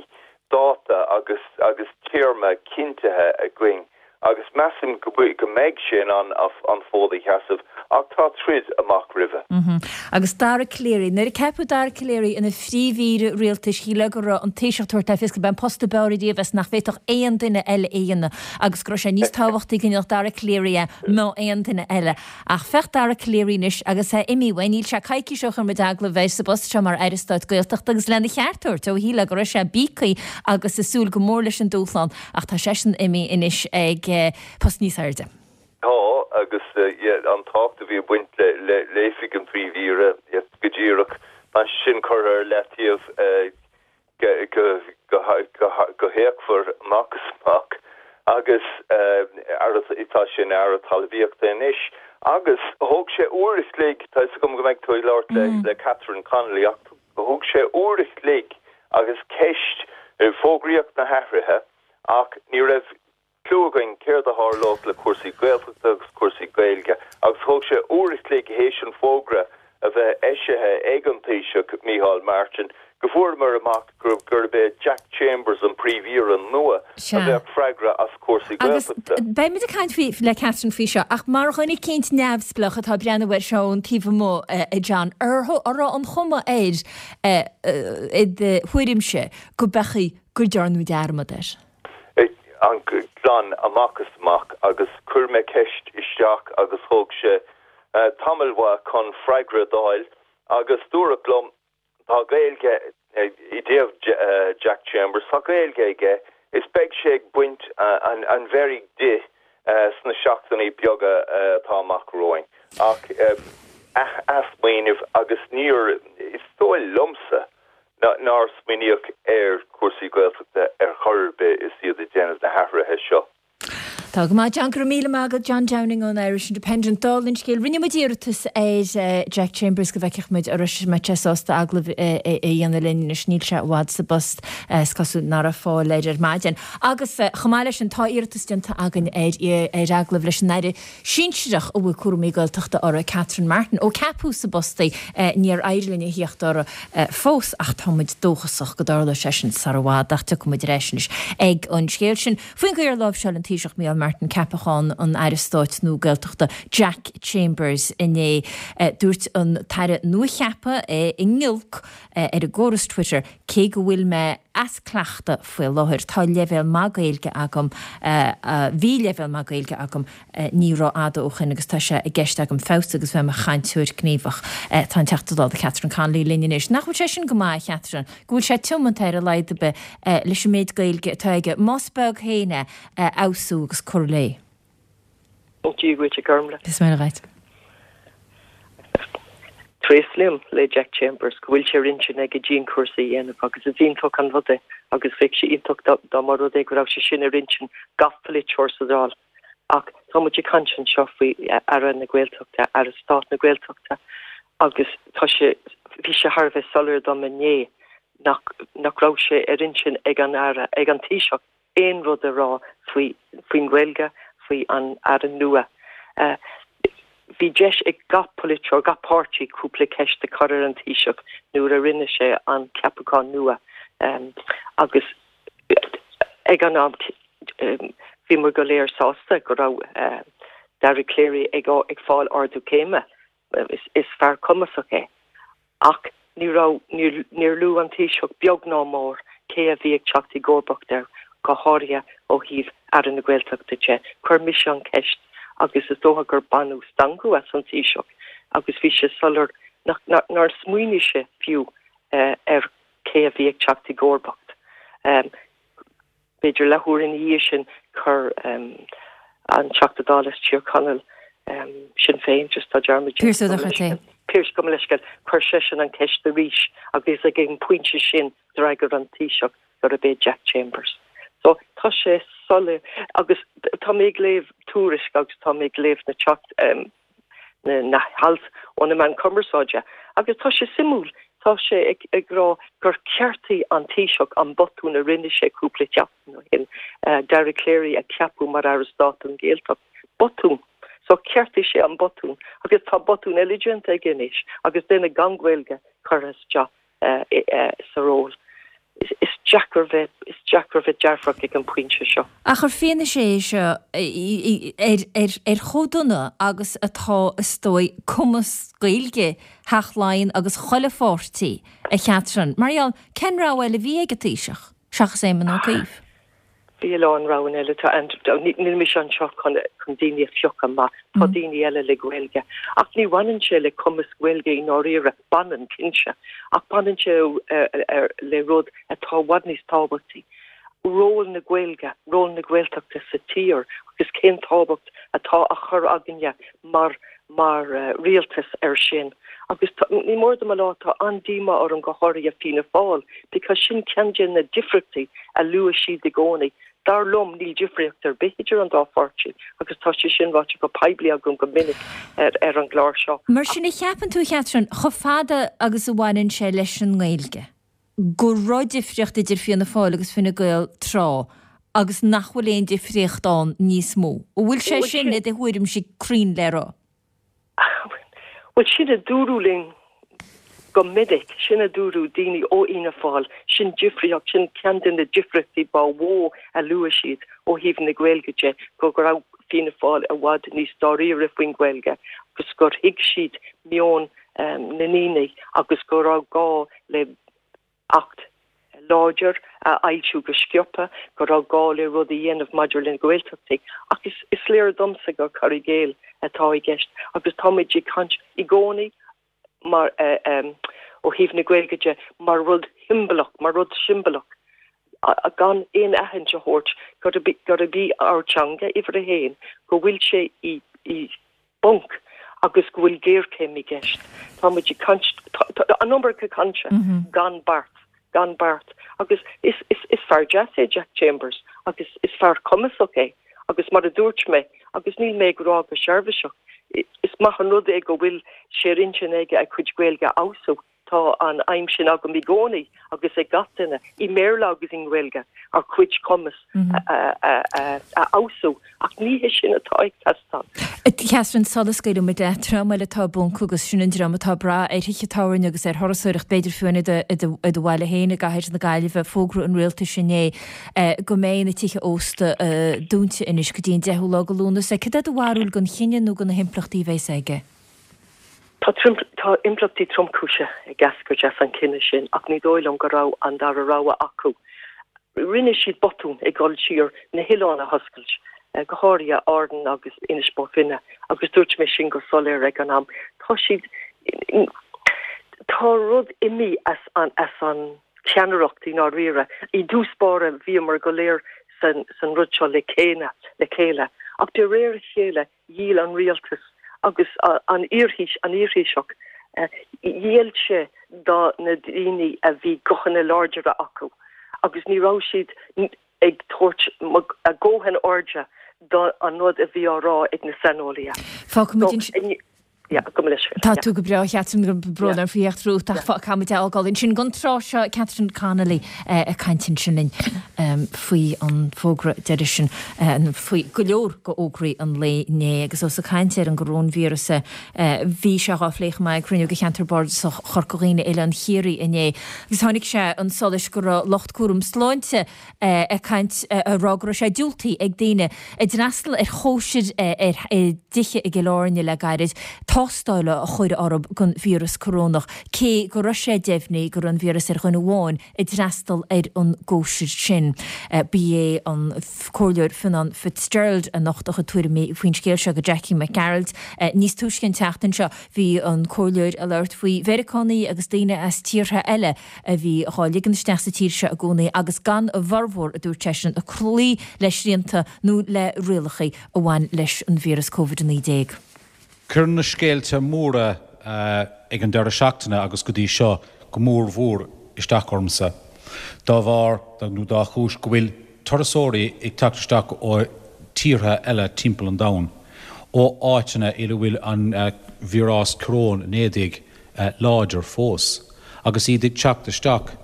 dáta agus agus téarma cinntithe againn agus measaim go go mbeidh sé in ann an fód a sheasamh ach tá troid amach roimhe. Agus Dara Calleary, nuair a ceapadh Dara Calleary ina phríomh-aoire rialtais shílfeá go raibh an Taoiseach ag tabhairt le fios gurb é an post ab fhearr ariamh is nach bhféadfadh aon duine eile é a dhéanamh agus go raibh sé níos tábhachtaí go ndéanfadh Dara Calleary é ná aon duine eile. Ach féach Dara Calleary anois agus é imithe uaidh, níl sé coicís ó chuir muid agallamh air sa bpost seo mar Aire Stáit Gaeltachta agus lena cheart a thabhairt ó shílfeá go raibh sé bíogtha agus ag súil go mór leis an dúshlán ach tá seisean imithe anois ag post níos airde. Tá agus an tábhacht a bhí ag baint le oifig an Phríomh-Aoire go díreach, tá sin curtha ar leataobh go héagmhar amach is amach agus tá sé ina Aire Talmhaíochta anois. Agus thóg sé uair a chloig, tá fhios agam go mbeidh tú ag labhairt le Catherine Connolly, ach thóg sé uair a chloig agus ceist, fógraíodh na hathruithe ach ní raibh cliú againn céard a tharlódh le cúrsaí Gaeltachta agus cúrsaí Gaeilge agus thóg sé uair a chloig théis an fógra a bheith eisithe ag an Taoiseach Micheál Martin go bhfuaireamar amach gurb é Jack Chambers an Príomh-Aoire nua a bheadh freagrach as cúrsaí Gaeltachta. Agus beimid ag caint faoi le Catherine faoi seo ach mar dhuine eicínt neamhspleách atá ag breathnú air seo ón taobh amuigh, a John, an raibh an chuma air i do thuairimse go b'fhéidir go ndearnadh dearmad air? An glan amach is amach agus chuir mé ceist isteach agus thóg sé tamall mhaith chun freagra d'fháil agus dúradh liom tá Gaeilge i dtaobh Jack Chambers, tá Gaeilge aige is beidh sé ag baint an an mheirg di sna seachtainí beaga atá amach romhainn ach athsmaoineamh agus níor is dóigh liomsa nár smaoiníodh ar chúrsaí Gaeltachta ar chor ar bith is iad ag déanamh na hathruithe seo. Tá go maith, John. Go raibh míle maith agat, John Downing ón Irish Independent. Dála an scéil, rinne muid iarratas ar Jack Chambers go bhfeicfeadh muid an mbeadh sé sásta agallamh a dhéanamh linn anois. Níl sé i bhfad sa bpost, is cosúil nach raibh fáil air ar maidin. Agus chomh maith leis sin, tá iarratas déanta againn ar ar agallamh leis an Aire sinsearach a bhfuil cúraimí Gaeltachta uirthi, Catherine Martin. Ó ceapadh sa bpost í, níor éirigh linn a thíocht uirthi fós ach tá muid dóchasach go dtarlóidh sé sin sar i bhfad ach tiocfaidh muid ar ais anois ag an scéal sin. Faoin gcaoi ar láimhseáil an Taoiseach Micheál Martin ceapachán an Aire Stáit nua Gaeltachta Jack Chambers inné, dúirt an tAire nuacheaptha i ngiolc ar an gcóras Twitter, Cé go bhfuil mé as cleachtadh faoi láthair, tá leibhéal maith Gaeilge agam, bhí leibhéal maith Gaeilge agam ní rófhada ó shin agus tá sé i gceist agam feabhsú agus bheith i mo chainteoir gníomhach. Tá an Teachta Dála Catherine Connolly linn anois. Nach bhfuil sé sin go maith, a Chatherine, go bhfuil sé tiomanta ar a laghad ar bith leis an méid Gaeilge atá aige, más beag féin é, a fheabhsú agus cur léi? Ó Dia dhuit, a Ghormfhlaith. Is maith dhuit. Tréaslaím le Jack Chambers go bhfuil sé ar intinn aige dianchúrsa a dhéanamh agus is iontach an rud é agus bheadh sé iontach dá mba rud é go raibh sé sin ar intinn gach polaiteoir sa Dáil. Ach tá muid ag caint anseo faoi Aire na Gaeltachta, Aire Stáit na Gaeltachta agus tá sé, bhí sé thar a bheith soiléir dom inné nach, nach raibh sé ar intinn ag an Aire, ag an Taoiseach aon rud a rá faoi, faoin Ghaeilge, faoi an Aire nua. Bhí deis ag gach polaiteoir, gach páirtí cúpla ceist a chur ar an Taoiseach nuair a rinne sé an ceapachán nua agus ag an am bhíomar go léir sásta go raibh Dara Calleary ag ag fáil ardú céime. Is fear cumasach é. Ach ní raibh, níor luaigh an Taoiseach beag ná mór cé a bhí ag teacht i gcomharbacht air, go háirithe ó thaobh Aire na Gaeltachta de. Chuir mise an cheist agus is dócha gur baineadh stangadh as an Taoiseach agus bhí sé soiléir nár smaoinigh sé fiú ar cé a bhí ag teacht i gcomharbacht. B'fhéidir leathuair ina dhiaidh sin chuir an Teachta Dála as Tír Chonaill, Sinn Féin, just tá dearmad Pearse Ó Dochartaigh. Pearse, gabh mo leithscéal, chuir seisean an ceist arís agus ag an bpointe sin d'fhreagair an Taoiseach gurb é Jack Chambers. So tá sé soiléir agus tá mé ag léamh tuairisc agus tá mé ag léamh na teacht na hailt ó na meáin cumarsáide agus tá sé suimiúil, tá sé ag rá gur cheartaigh an Taoiseach an botún a rinne sé cúpla seachtain ó shin, Dara Calleary a cheapadh mar Aire Stáit don Ghaeltacht. Botún! So cheartaigh sé an botún agus tá botún eile déanta aige anois agus duine gan Gaeilge curtha isteach sa ról. Is deacair bheith, is deacair bheith dearfach ag an bpointe seo. Ach ar fianaise é seo ar, ar, ar chomh dona agus atá, is dóigh, cumas Gaeilge Theach Laighean agus chuile pháirtí, a Chatherine, mar gheall, cén rogha eile a bhí ag an Taoiseach seachas Éamon Ó Cuív? Bhí a lán roghanna eile, tá, and níl mise anseo chun chun daoine a phiocadh amach, tá daoine eile le Gaeilge. Ach ní bhaineann sé le cumas Gaeilge i ndáiríre, baineann, cinnte, ach baineann sé le rud atá i bhfad níos tábhachtaí, ról na Gaeilge, ról na Gaeltachta sa tír agus cén tábhacht atá á chur againne mar mar rialtas air sin. Agus ní mór dom a rá, tá an-díomá orm go háirithe Fianna Fáil because sin ceann de na difríochtaí a luaigh siad i gcónaí. Dar liom, níl difríocht ar bith idir an dá pháirtí agus tá sé sin ráite go poiblí agam go minic ar ar an gclár seo. Mar sin, a cheapann tú, a Chatherine, chomh fada agus a bhaineann sé leis an nGaeilge, go raibh difríocht idir Fianna Fáil agus Fine Gael tráth agus nach bhfuil aon difríocht ann níos mó? An bhfuil sé sin, i do thuairimse, cruinn le rá? Bhuel, sin a dúradh linn go minic, sin a dúradh daoine ó Fhianna Fáil, sin difríocht, sin ceann de na difríochtaí ba mhó a luaigh siad ó thaobh na Gaeilge de, go raibh Fianna Fáil i bhfad níos dáiríre faoin Ghaeilge agus gur thuig siad meon na ndaoine agus go raibh gá le Acht láidir a fhoilsiú go sciobtha, go raibh gá le rud a dhéanamh maidir le Gaeltachtaí. Ach is is léir domsa gur cur i gcéill atá i gceist agus táimid ag caint i gcónaí mar ó thaobh na Gaeilge de mar rud shiombalach, mar rud siombalach, gan aon aithint a thabhairt gurb í ár dteanga uimhir a haon, go bhfuil sé i i bponc agus go bhfuil géarchéim i gceist. Táimid ag caint, an iomarca cainte gan beart, gan beart. Agus is, is, is fear deas é Jack Chambers agus is fear cumasach é agus mar a dúirt mé, agus níl mé ag rá go seirbhíseach, is maith an rud é go bhfuil sé ar intinn aige a chuid Gaeilge a fheabhsú. Tá an aidhm sin agam i gcónaí agus ag gach duine, i mBéarla agus i nGaeilge, ár gcuid cumas a fheabhsú, ach ní hé sin atá ag teastáil. Catherine, sula scaoilfidh muid leat, dream eile atá i bponc agus sin an dream atá ag brath ar thithe tábhairne agus ar thurasóireacht, b'fhéidir fiú i do bhaile féin i gcathair na Gaillimhe, fógra an rialtais inné go mbeidh na tithe ósta dúnta anois go dtí an deichiú lá de Lúnasa. Cad é do bharúil den chinneadh nó de na himpleachtaí a bheas aige? Tá tá impleachtaí tromchúise ag eascairt as an chinneadh sin ach ní dóigh liom go raibh an dara rogha acu. Rinne siad botún ag dul siar na hoileáin a hoscailt, go háirithe Árainn agus Inis Bó Finne, agus dúirt mé sin go soiléir ag an am. Tá siad tá rud imithe as an as an cheannaireacht i ndáiríre. I dtús báire bhíomar go léir san san rud seo le chéile le chéile ach de réir a chéile dhíol an rialtas agus an iar-Thaoiseach, ghéill sé do na daoine a bhí guthanna láidre acu agus ní raibh siad ag tabhairt a ndóthain airde do an rud a bhí á rá ag na saineolaithe. Fágfaimid Yeah, go mbeidh sé. Tá tú go breá, Catherine, go brón orm faoi theacht romhat ach caithfimid é a fhágáil ansin don tráth seo, Catherine Connolly ag caint ansin linn faoi an bhfógra deiridh sin, faoi go leor de fhógraí an lae inné. Agus ós ag caint ar an gcoróinvíreas, bhí sé dhá phlé chomh maith ag cruinniú de Cheantar Bardasach Chorca Dhuibhne, Oileán Chiarraí inné agus tháinig sé chun solais go raibh lucht cúram sláinte ag caint, ag rá go raibh sé diúltaithe ag daoine a d'fhreastail ar chóisir i dtithe i gCill Airne le gairid, tástáil a chur orthu don víreas corónach, cé go raibh sé deimhnithe go raibh an víreas ar dhuine amháin a d'fhreastail ar an gcóisir sin. Ba é an Comhairleoir Fionnán Fitzgerald a nocht a chuid tuairimí faoin scéal seo do Jackie Mac Gearailt. Níos túisce an tseachtain seo bhí an Comhairleoir ag labhairt faoi Mheiriceánaigh agus daoine as tíortha eile a bhí dhá ligean isteach sa tír seo i gcónaí agus gan a bhformhór, a dúirt seisean, ag cloí le srianta nó le rialacha a bhain leis an víreas Covid a naoi déag. Cuireann na scéalta móra ag an deireadh seachtaine agus go dtí seo go mór mhór isteach ormsa, dá bharr nó dá chúis go bhfuil turasóirí ag teacht isteach ó tíortha eile timpeall an domhain, ó áiteanna ina bhfuil an víreas coróin a naoi déag láidir fós, agus iad ag teacht isteach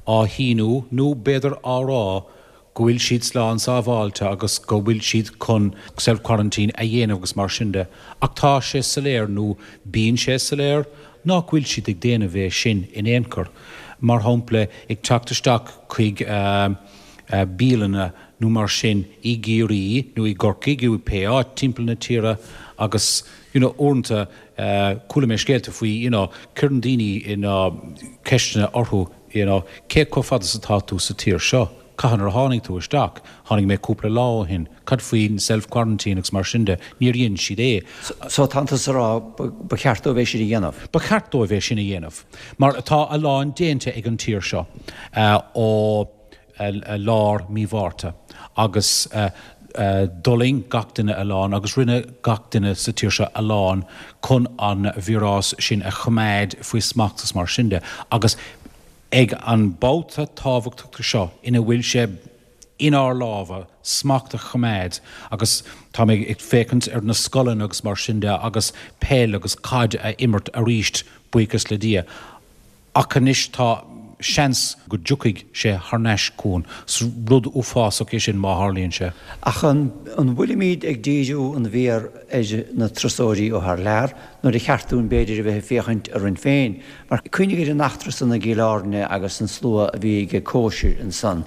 á shíniú nó b'fhéidir á rá go bhfuil siad slán sábháilte agus go bhfuil siad chun self-quarantine a dhéanamh agus mar sin de, ach tá sé soiléir, nó bíonn sé soiléir, nach bhfuil siad ag déanamh é sin in aon chor. mar shampla, ag teacht isteach chuig bialanna nó mar sin i gCiarraí nó i gCorcaigh nó pé áit timpeall na tíre agus you know uaireanta chuala mé scéalta faoi you know cuireann daoine you know ceisteanna orthu you know cé chomh fada is atá tú sa tír seo? Cathain ar tháinig tú isteach? Tháinig mé cúpla lá ó shin. Cad faoin self-quarantine agus mar sin de? Níor dhein siad é. So tá tusa ag rá ba cheart dóibh é sin a dhéanamh? Ba cheart dóibh é sin a dhéanamh. Mar tá a lán déanta ag an tír seo ó lár mí Mhárta agus d'fhulaing gach duine a lán agus rinne gach duine sa tír seo a lán chun an víreas sin a choimeád faoi smacht agus mar sin de. Agus ag an mbabhta tábhachtach seo ina bhfuil sé inár lámha smacht a choimeád agus tá mé ag féachaint ar na scoileanna agus mar sin de agus peil agus caid a imirt arís, buíochas le Dia. Ach anois tá seans go dtiocfaidh sé thar n-ais chugainn. Is rud uafásach é sin má tharlaíonn sé. Ach an bhfuilimid ag díriú an mhéar ar na turasóirí ó thar lear nuair a cheart dúinn b'fhéidir a bheith ag féachaint orainn féin? Mar cuimhnigh ar an eachtra san i gCill Airne agus an slua a bhí ag cóisir ansan.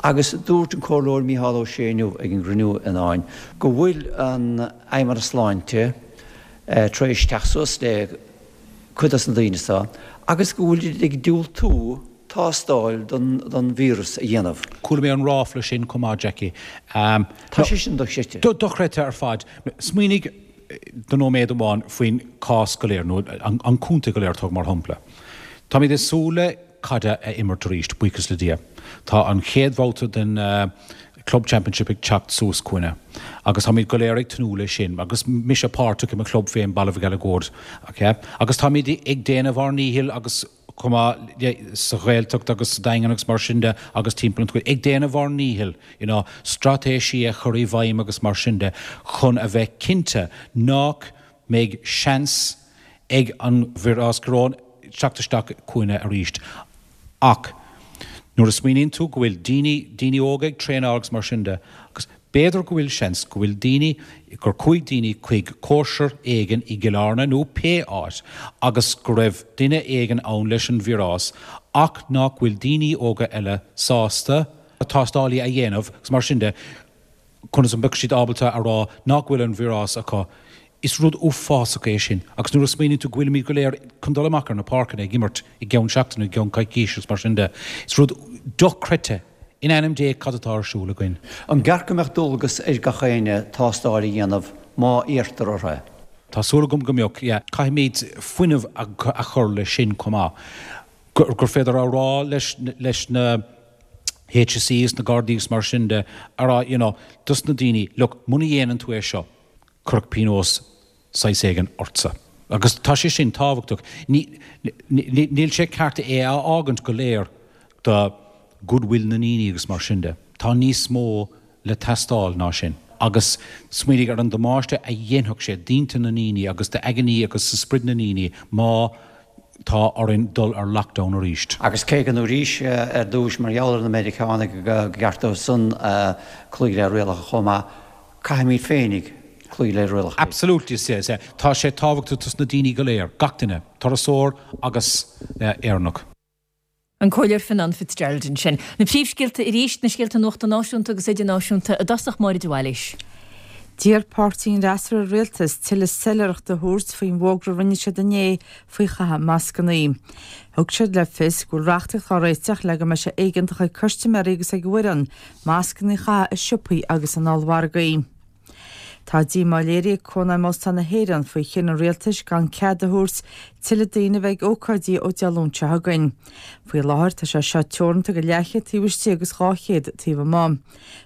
Agus dúirt an Comhairleoir Mícheál Ó Sé inniu ag an gcruinniú in Árainn go bhfuil an Fheidhmeannas Sláinte tar éis teacht suas le cuid dos na daoine seo agus go bhfuil siad ag diúltú tástáil don víreas a dhéanamh. Chuala mé an ráfla sin chomh maith, Jackie. Tá sé sin dochreidte. Dochreidte ar fad. Smaoinigh do nóiméad amháin faoin cás go léir, nó an contae go léir, tóg mar shampla. Táimid ag súil le caid a imirt arís, buíochas le Dia. Tá an chéad bhabhta den Club Championship ag teacht suas chugainne agus táimid go léir ag tnúth leis sin agus mise páirteach i mo chlub féin, Baile Mhic Eileagóid, agus táimid ag déanamh ár ndíchill agus chomh maith sa Ghaeltacht agus sa Daingean agus mar sin de agus timpeall an ag déanamh ár ndíchill you know straitéisí a chur i bhfeidhm agus mar sin de chun a bheith cinnte nach mbeidh seans ag an víreas coróin teacht isteach chugainne arís. Ach nuair a smaoiníonn tú go bhfuil daoine, daoine óga ag traenáil agus mar sin de, agus b'fhéidir go bhfuil seans go bhfuil daoine, gur chuaigh daoine chuig cóisir éigin i gCill Airne nó pé áit agus go raibh duine éigin ann leis an víreas ach nach bhfuil daoine óga eile sásta tástálaí a dhéanamh agus mar sin de, conas a mbeadh siad ábalta a rá nach bhfuil an víreas acu? Is rud uafásach é sin agus nuair a smaoiníonn tú go bhfuilimid go léir chun dul amach ar na páirceanna ag imirt i gceann seachtaine nó i gceann coicíse agus mar sin de, is rud dochreidte, in ainm Dé cad atá ar siúl againn? An gceart go mbeadh dualgas ar gach éinne tástáil a dhéanamh má iarrtar orthu é? Tá súil agam go mbeadh, yeah. Caithfimid fuinneamh a chur leis sin chomh maith. Gur féidir a rá leis na HSE is na Gardaí agus mar sin de, a rá, you know, dos na daoine, look, muna dhéanann tú é seo, cuirfear pionós saghas éigin ortsa. Agus tá sé sin tábhachtach. Níl sé ceart é a fhágaint go léir do goodwill na ndaoine agus mar sin de. Tá níos mó le teastáil ná sin. Agus smaoinigh ar an damáiste a dhéanfadh sé d'intinn na ndaoine agus d'aigne agus do sprid na ndaoine má tá orainn dul ar lockdown arís. Agus cé go ndúraís ar dtús mar gheall ar na Meiriceánaigh go gceart dóibh san cloí le rialacha chomh maith, caithfimid féinig cloí le rialacha. Absolutely, yes, yeah. Tá sé tábhachtach dos na daoine go léir, gach duine, turasóir agus Éireannach. An Comhairleoir Fionnán Fitzgerald ansin. Na príomhscéalta arís, na scéalta nuachta náisiúnta agus idirnáisiúnta i dtosach Máire de Bhailís. D'iarr páirtí an fhreasúra ar an rialtas tuilleadh soiléireachta a thabhairt faoin bhfógra a rinne siad inné faoi chaitheamh mascanna. Thug siad le fios go bhfuil reachtaíocht á réiteach le go mbeidh sé éigeantach ag custaiméirí agus ag an bhfoireann mascanna a chaitheamh i siopaí agus in ollmhargaí. Tá díomá léirithe ag Cónaidhm Óstán na hÉireann faoi chinneadh an rialtais gan cead a thabhairt tuilleadh daoine a bheith ag ócáidí ó Dé Luain seo chugainn. Faoi láthair tá sé seo teoranta go leathchéad taobh istigh agus dhá chéad taobh amuigh.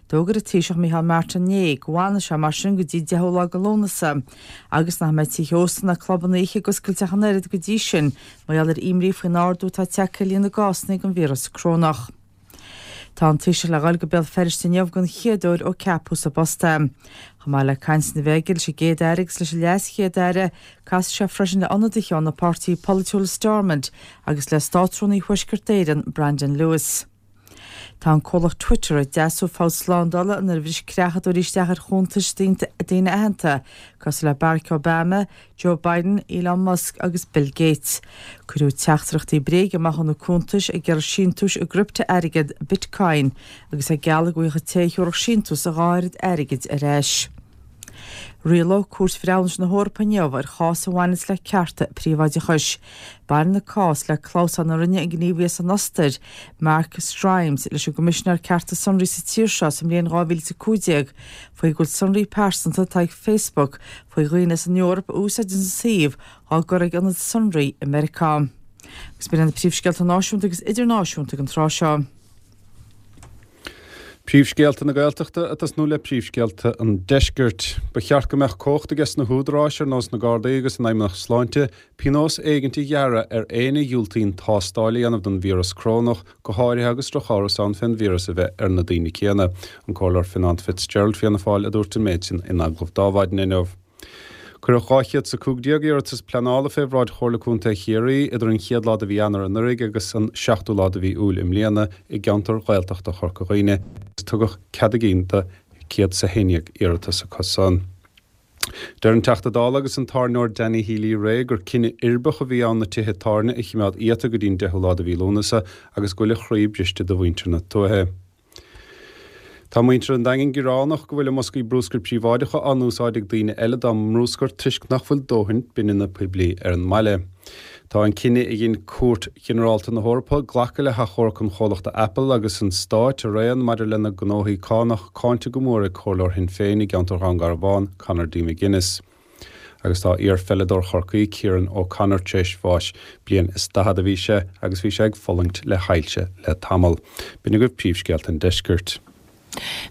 D'fhógair an Taoiseach Micheál Martin inné go bhfanfaidh sé mar sin go dtí deichiú lá de Lúnasa agus nach mbeidh tithe ósta ná clubanna oíche ag oscailt ach an oiread go dtí sin mar gheall ar imní faoin ardú atá tagtha ar líon na gcásanna den víreas corónach. Tá an Taoiseach le dhul go Béal Feirste inniu den chéad uair ó ceapadh sa bpost é. Chomh maith le cainteanna a bheith aige leis an gCéad-Aire agus leis an LeasChéad-Aire, casfaidh sé freisin le ionadaithe ó na páirtithe polaitiúla i Stormont agus le Státrúnaí Thuaisceart Éireann, Brandon Lewis. Tá an comhlacht Twitter ag deasú fabht slándála inar bhris creachadóirí isteach ar chuntais daoine aitheanta, cosúil le Barack Obama, Joe Biden, Elon Musk agus Bill Gates. Cuireadh teachtaireachtaí bréige amach ó na cuntais ag iarraidh síntiúis i gcriptea-airgead Bitcoin agus ag gealladh go bhfaigheadh an té a thabharfadh síntiús a dhá oiread airgid ar ais. Rialóidh Cúirt Bhreithiúnais na hEorpa inniu ar chás a bhaineanns le cearta príobháideachais. Baineann an cás le clamhsán a rinne an gníomhaí as an Ostair, Mark Schrems, leis an gCoimisinéir Cearta Sonraí sa tír seo sa mbliain dhá mhíle is a cúig déag faoi go bhfuil sonraí pearsanta atá ag Facebook faoi dhaoine as an Eoraip a úsáideann an suíomh á gcur ag ionad sonraí i Meiriceá. Agus b'in iad na príomhscéalta náisiúnta agus idirnáisiúnta ag an tráth seo. Príomhscéalta na Gaeltachta ag tosnú le príomhscéalta an Deiscirt. Ba cheart go mbeadh cumhacht aige sna húdaráis ar nós na Gardaí agus an Fheidhmeannacht Sláinte pionós éigint a ghearradh ar éinne a dhiúltaíonn tástáil a dhéanamh don víreas corónach, go háirithe agus drochamhras ann fén víreas a bheith ar na daoine céanna. An Comhairleoir Fionán Fitzgerald, Fianna Fáil, a dúirt an méid sin in agallamh d'Adhmhaidin inniu. Cuireadh dhá chéad is a cúig déag iarratas pleanála fé bhráid Chomhairle Contae Chiarraí idir an chéad lá de mhí Eanáir anuraidh agus an seachtú lá de mhí Iúil i mbliana i gceantar Ghaeltachta Chorca Dhuibhne agus tugadh cead a gcinn do céad is a haon déag iarratas acu san. Deir an Teachta Dála agus an tábhairneoir Danny Healy-Rae gur cinneadh uirbeach a bhí ann na tithe tábhairne a chimeád iata go dtí an deichiú lá de mhí Lúnasa agus go bhfuil a chroí briste do mhuintir na tuaithe. Tá muintir an Daingin gearánach go bhfuil a mboscaí brúscair príobháideacha á n-úsáid ag daoine eile dá mbrúscar toisc nach bhfuil dóthain bineanna poiblí ar an mbaile. Tá an cinneadh a dhein Cúirt Ghinearálta na hEorpa glacadh le hachomharc an chomhlachta Apple agus an Stáit araon maidir lena ngnóthaí cánach cáinte go mór ag Comhairleoir Shinn Féin i gceantar Dhún Garbhán, Conor D. McGuinness. Agus tá iar-pheileadóir Chorcaí, Kieran O'Connor, tar éis bháis. Bliain is daichead a bhí sé agus bhí sé ag fulaingt le hailse le tamall. B'in agaibh príomhscéalta an deiscirt.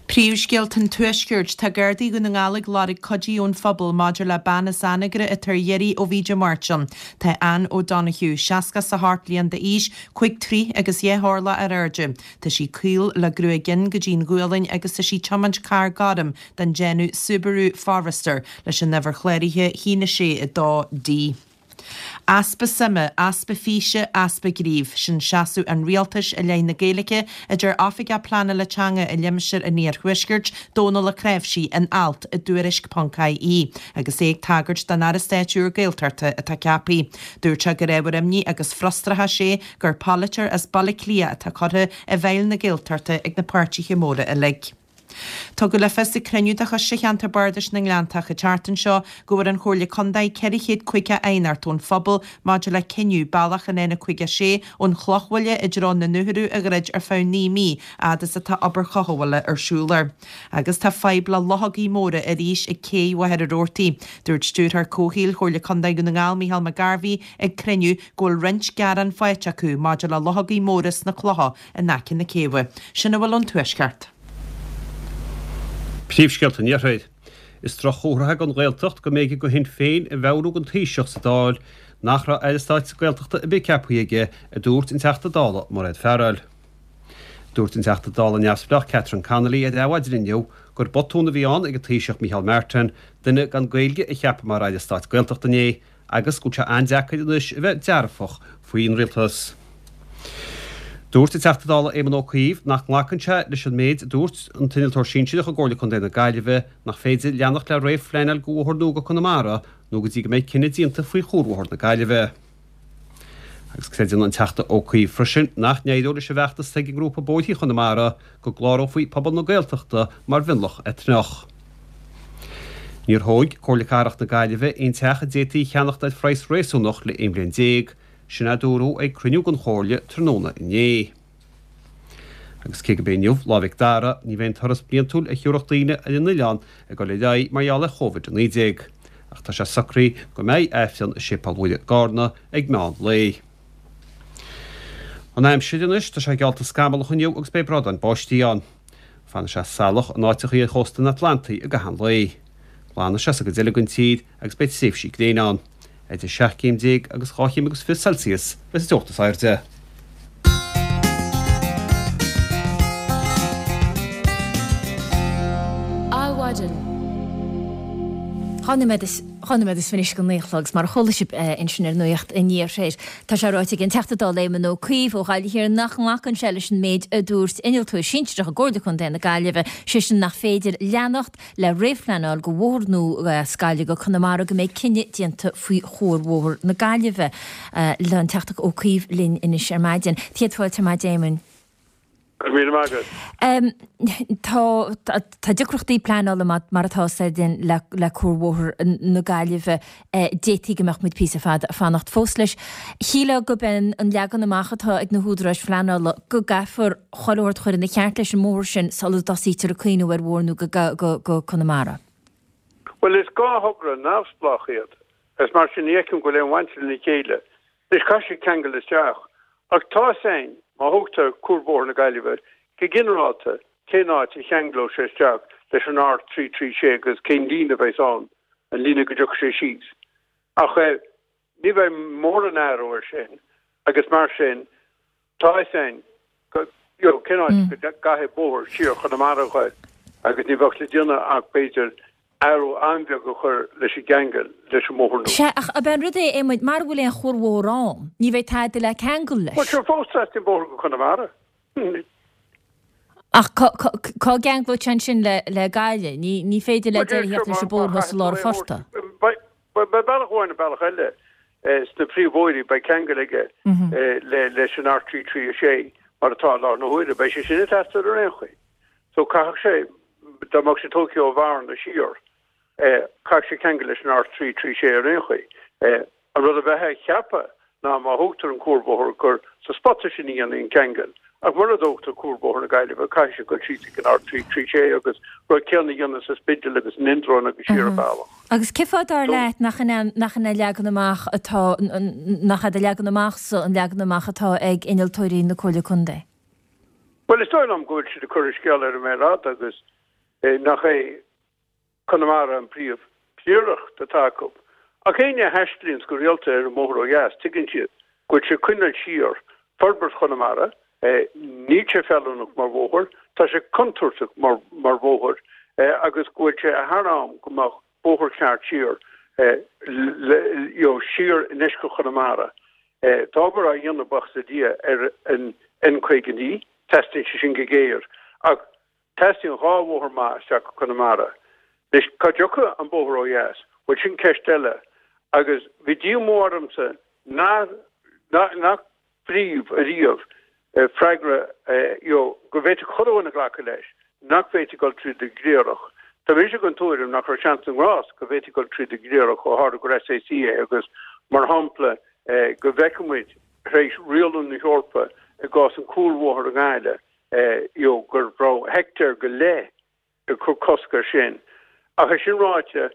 Príomhscéalta an Tuaiscirt, Tá Gardaí Dhún na nGall ag lorg cuidí ón phobal maidir le bean as Anagaire atá ar iarraidh ó bhí Dé Máirt ann. Tá Anne O'Donoghue, seasca is a hocht bliain d'aois, cúig troigh agus dhá horlach ar airde. Tá sí caol le gruaig fhionn go dtí'n ghualainn agus tá sí ag tiomáint carr gorm den déanamh Subaru Forester leis an uimhir chláraithe a haon a sé a dó D. Easpa suime, easpa físe, easpa gnímh, sin seasamh an rialtais i leith na Gaeilge, a deir Oifigeach Pleanála Teanga i limistéar an Iarthuaiscirt, Dónal Ó Cnáimhsí, in alt i dTuairisc ponc IE, agus é ag tagairt don Aire Stáit úr Gaeltachta atá ceaptha. Dúirt sé gur ábhar imní agus frustrachais é gur polaiteoir as Baile Átha Cliath atá curtha i bhfeighil na Gaeltachta ag na páirtithe móra uilig. Tugadh le fios ag cruinniú de Choiste Cheantar Bardais na nGleanntach an tseachtain seo go bhfuair an Chomhairle Contae ceithre chéad caoga aighneacht ón phobal maidir le cinneadh bealach an N caoga a sé ón Chlochbhaile i dtreo na nDútharadh a dhruid ar feadh naoi mí fhad is atá obair chothabhála ar siúl air. Agus tá fadhb le luchógaí móra arís ag cé Mhachaire Rabhartaigh. Dúirt Stiúrthóir Comhshaoil Chomhairle Contae Dhún na nGall Micheál McGarvey ag cruinniú go bhfuil roinnt gearán faighte acu maidir le luchógaí móra sna clocha in aice na céibhe. Sin a bhfuil ón Tuaisceart. Príomhscéalta an Iarthair. Is droch-chomhartha don Ghaeltacht go mb'éigean do Shinn Féin a mheabhrú don Taoiseach sa Dáil nach raibh Aire Stáit Gaeltachta ar bith ceaptha aige, a dúirt an Teachta Dála Mairéad Farrell. Dúirt an Teachta Dála neamhspleách Catherine Connolly ar Adhmhaidin inniu gur botún a bhí ann ag an Taoiseach Micheál Martin duine gan Gaeilge a cheapadh mar Aire Stáit Gaeltachta inné agus go bhfuil sé an-deacair anois a bheith dearfach faoin rialtas. Dúirt an Teachta Dála Éamon Ó Cuív nach nglacann sé leis an méid a dúirt an t-innealtóir sinsearach i gComhairle Contae na Gaillimhe nach féidir leanacht le réamhphleanáil do bhóthar nua go Conamara nó go dtí go mbeidh cinneadh déanta faoi chuarbhóthar na Gaillimhe. Agus creideann an Teachta Ó Cuív freisin nach n-éireoidh leis an bhfeachtas ag an ngrúpa Bóithre Chonamara go gclárófaí pobal na Gaeltachta mar mhionlach eitneach. Níor thóg Comhairle Cathrach na Gaillimhe aon teach a d'fhéadfaí a cheannacht ar phraghas réasúnach le aon bhliain déag. Sin a dúradh ag cruinniú den Chomhairle tráthnóna inné. Agus cé gurb é inniu Lá Mhic Dara, ní bheidh an turas bliantúil a thiúrfadh daoine ar an oileán ag dul ar aghaidh mar gheall ar Chóivid a naoi déag. Ach tá sé socraithe go mbeidh Aifreann i Séipéal Mhuire i gCarna ag meán lae. An aimsir anois, tá sé geallta scamallach inniu agus beidh bradáin báistí ann. Fanfaidh sé salach in áiteachaí ar chósta an Atlantaigh i gcaitheamh an lae. Glanfaidh sé sa gcuid eile den tír agus beidh tréimhsí gréine ann. Idir seacht gcéim déag agus dhá chéim agus fiche Celsius a bheas an teocht is airde. Adhmhaidin. Dhá nóiméad is Dhá nóiméad is fiche anois go naoi a chlog, 's mar a chuala sibh ansin ar Nuacht an Iarthair, tá sé ráite ag an Teachta Dála Éamon Ó Cuív ó Ghaillimh Thiar nach nglacann sé leis an méid a dúirt innealtóir sinsearach i gComhairle Contae na Gaillimhe, sé sin nach féidir leanacht le réamhphleanáil go bhóthar nua as Gaillimh go Conamara go mbeidh cinneadh déanta faoi chuarbhóthar na Gaillimhe. Tá an Teachta Ó Cuív linn anois ar maidin. Céad fáilte ar maidin, a Éamoin. Go raibh míle maith agat. Tá tá deacrachtaí pleanála mar atá a fhios againn le le cuarbhóthar na Gaillimhe. D'fhéadfaí go mbeadh muid píosa fada ag fanacht fós leis. Shílfeá gurb é an leagan amach atá ag na húdaráis phleanála go gcaithfear chuile shórt a chur ina cheart leis an mbóthar sin sula dtosaítear ag cuimhneamh ar bhóthar nua go go Conamara. Bhuel is dhá thogra neamhspleách iad. Is mar sin ní fheicim go bhfuil aon bhaint lena chéile. Anois caithfidh siad ceangal isteach. Ach tá a fhios againn, má thógtar Cuarbhóthar na Gaillimhe, go ginearálta, cén áit a cheanglódh sé isteach leis an R trí trí sé agus cén líne a bheas ann, an líne go dtiocfaidh sé síos. Ach ní bheidh mórán athrú air sin agus mar sin tá a fhios againn go, you know, cén áit go gcaithfidh bóthar siar Chonamara a ghoil agus ní bheadh le déanamh ach b'fhéidir athrú an-bheag a chur leis an gceangal leis an mbóthar nua. Sea, ach ab é an rud é, Éamoin, mara bhfuil aon chuarbhóthar ann, ní bheidh tada le ceangal leis. Bhuel, sure, fós teastaíonn bóthar go Conamara. Ach cá gceanglóidh sé ansin le Gaillimh? Ní ní féidir le deireadh a theacht leis an bóthar thuas i lár an phortaigh. Beidh bealach amháin nó bealach eile sna príomhbhóithrí, beidh ceangal aige leis an R trí trí a sé mar atá i láthair na huaire. Beidh sé sin ag teastáil ar aon chaoi. So caithfidh sé, dá mbeadh sé tógtha ó Bhearna siar, caithfidh sé ceangal leis an R trí trí sé ar aon chaoi. An rud a bheifeá a cheapadh ná má thógtar an cuarbhóthar gur sa spota sin a dhéanfaí an ceangal, ach mura dtógtar cuarbhóthar na Gaillimhe caithfidh sé dul síos ag an R trí trí sé agus rud céanna a dhéanamh sa Spidéal agus in Indreabhán agus siar an bealach. Agus cén fáth dar leat nach in nach in é leagan amach atá nach é do leagan amachsa an leagan amach atá ag innealtóirí na Comhairle Contae? Bhuel, is dóigh liom go bhfuil siad ag cur an scéal ar an méar fhada agus nach é Conamara an príomh phríoracht atá acu. Ach éinne a thaistlíonns go rialta ar an mbóthar ó dheas, tuigeann siad go bhfuil sé ag coinneáil siar forbairt Chonamara, níl sé feiliúnach mar bhóthar, tá sé contúirteach mar mar bhóthar agus go bhfuil sé thar am go mbeadh bóthar ceart siar you know siar i ndeisceart Chonamara. Tá obair á dhéanamh, buíochas le Dia, ar an N caoga naoi, teastaíonn sé sin go géar, ach teastaíonn dhá bhóthar maith isteach go Conamara. Anois, cá dtiocfaidh an bóthar ó dheas? Bhuel, sin ceist eile. Agus bhí díomá ormsa nach nach bhfuair ariamh freagra you know go bhféadfadh chuile dhuine glacadh leis nach bhféadfaí dul tríd an gCliarach. Tá mise den tuairim nach raibh seans na ngrást go bhféadfaí dul tríd an gCliarach ó tharla gur SAC é agus, mar shampla, go bhfeicfidh muid tar éis rialú na hEorpa i gcás an cuarbhóthar i nGaillimh you know go raibh heictéar go leith ag cur cosc air sin. Ach é sin ráite,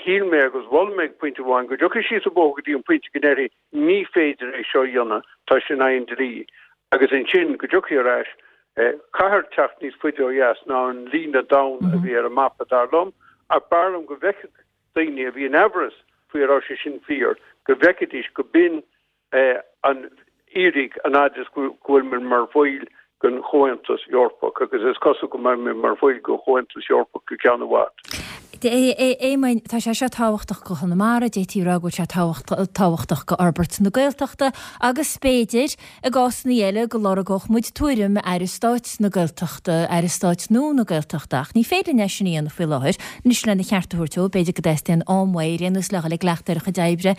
shíl mé agus mhol mé ag pointe amháin go dtiocfaí síos an bóthar go dtí an pointe go ndéarfaí ní féidir é seo a dhéanamh, tá sé in aghaidh an dlí. Agus ansin go dtiocfaí ar ais, caithfear teacht níos faide ó dheas ná an líne donn a bhí ar an mapa, dar liom, ach b'fhearr liom go bhfeicfeadh daoine a bhí in aimhreas faoi an raibh sé sin fíor, go bhfeicfidís go b'in an fhíric an fhad is go bhfuil muid mar bhaill den Chomhaontas Eorpach, agus is cosúil go mbeidh muid mar bhaill den Chomhaontas Eorpach go ceann i bhfad. A Éamoinn, tá sé seo tábhachtach go Chonamara, d'fhéadfaí a rá go bhfuil sé tábhachtach go fhorbairt na Gaeltachta agus b'fhéidir, i gcásanna eile, go lorgódh muid tuairim Aire Stáit na Gaeltachta, Aire Stáit nua na Gaeltachta, ach ní féidir linn é sin a dhéanamh faoi láthair. Anois, lena cheart a thabhairt dó, b'fhéidir go dteastaíonn am uaidh ar aon nós le dhul ag cleachtadh ar a chuid oibre.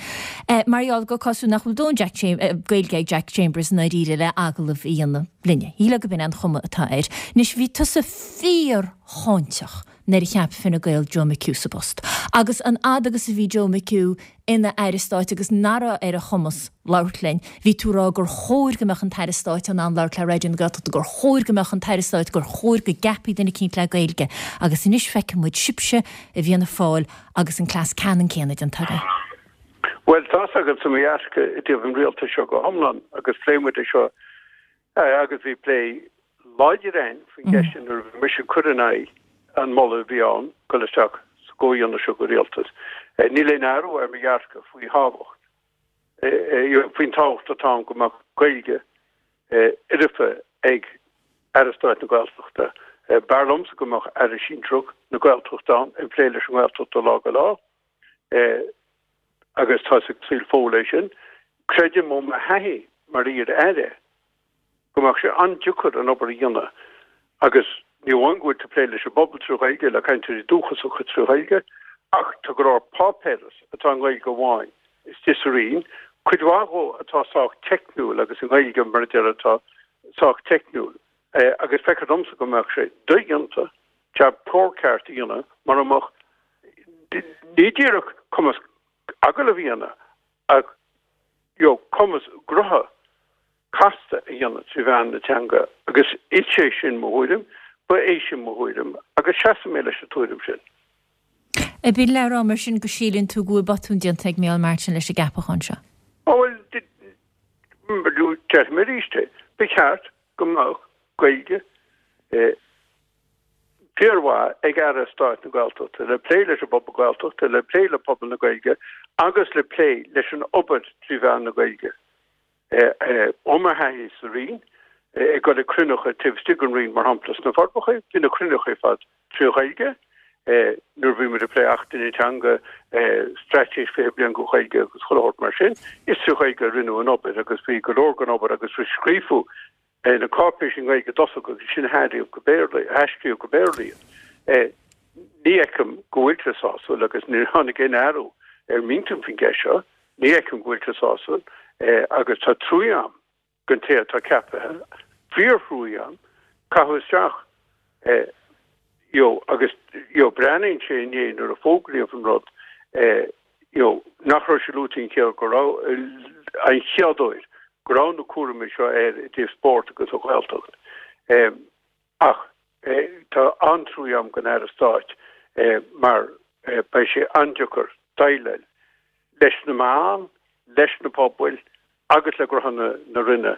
Mar gheall gur cosúil nach bhfuil dóthain Jack Gaeilge ag Jack Chambers i ndáiríre le agallamh a dhéanamh linne. Shílfeá go b'in é an chuma atá air. Anois, bhí tusa fíor-cháinteach nuair a cheap Fine Gael Joe McHugh sa bpost. Agus an fhad agus a bhí Joe McHugh ina Aire Stáit agus nach raibh ar a chumas labhairt linn, bhí tú ag rá gur chóir go mbeadh an tAire Stáit in ann labhairt le Raidió na Gaeltachta, gur chóir go mbeadh an tAire Stáit, gur chóir go gceapfaí duine eicínt le Gaeilge. Agus anois feiceann muid sibhse i bhFianna Fáil agus an cleas ceannann céanna déanta agaibh. Bhuel, tá's agatsa mo dhearcadh i dtaobh an rialtais seo go hiomlán agus phléigh muid é seo agus bhí plé láidir againn faoin gceist sin nuair a bhí mise ag cur in aghaidh an moladh a bhí ann dul isteach sa gcomhdhéanamh seo de rialtas. Níl aon athrú ar mo dhearcadh faoi thábhacht, faoin tábhacht atá ann go mbeadh Gaeilge fhoirfe ag Aire Stáit na Gaeltachta. B'fhearr liomsa go mbeadh Aire Sinsearach na Gaeltachta ann ag plé leis an nGaeltacht ó lá go lá. Agus tá ag súil fóill leis sin. Creidim ó mo thaithí mar iar-aire go mbeadh sé an-deacair an obair a dhéanamh agus ní amháin go bhfuil tú ag plé leis an bpobal trí Ghaeilge, le cainteoirí dúchasacha trí Ghaeilge, ach tá go leor páipéaras atá i nGaeilge amháin istigh sa Roinn, cuid mhaith dhó atá sách teicniúil agus i nGaeilge mar a deir atá sách teicniúil. Agus feictear domsa go mbeadh sé dodhéanta jab cóir ceart a dhéanamh mura mbeadh ní díreach cumas agallamh a dhéanamh ach you know cumas gnótha casta a dhéanamh trí mheán na teanga agus is é sin mo thuairim, ba é sin mo thuairim agus seasann mé leis an tuairim sin. Ab in le rá mar sin go síleann tú go bhfuil botún déanta ag Micheál Martin leis an gceapachán seo? Ó bhuel, déarfaidh mé arís é, ba cheart go mbeadh Gaeilge fíormhaith ag Aire Stáit na Gaeltachta le plé leis an bpobal Gaeltachta, le plé le pobal na Gaeilge agus le plé leis an obair trí mheán na Gaeilge. Ó mo thaithí sa Roinn, ag dul ag cruinnithe taobh istigh den Roinn, mar shampla sna Forbacha, bhí na cruinnithe ar fad trí Ghaeilge. Nuair a bhí muid ag plé Achtanna Teanga, Straitéis fiche Bliain don Ghaeilge agus chuile shórt mar sin, is trí Ghaeilge a rinneadh an obair agus bhí go leor den obair agus scríofa na cáipéisí i nGaeilge i dtosach agus ansin aistríodh go Béarla, aistríodh go Béarla iad. Ní fheicim go bhfuil sé sásúil agus níor tháinig aon athrú ar m'intinn faoin gceist seo, ní fheicim go bhfuil sé sásúil agus tá trua agam don té atá ceaptha, fíorthrua agam, caitheadh isteach you know agus you know breathnaíonn sé inné nuair a fógraíodh an rud you know nach raibh sé luaite an chéad go raibh an chéad uair go raibh na cúraimí seo air i dtaobh spóirt agus an Ghaeltacht. Ach tá an-trua agam don Aire Stáit mar beidh sé an-deacair déileáil leis na meáin, leis na pobail agus le gnótha na Roinne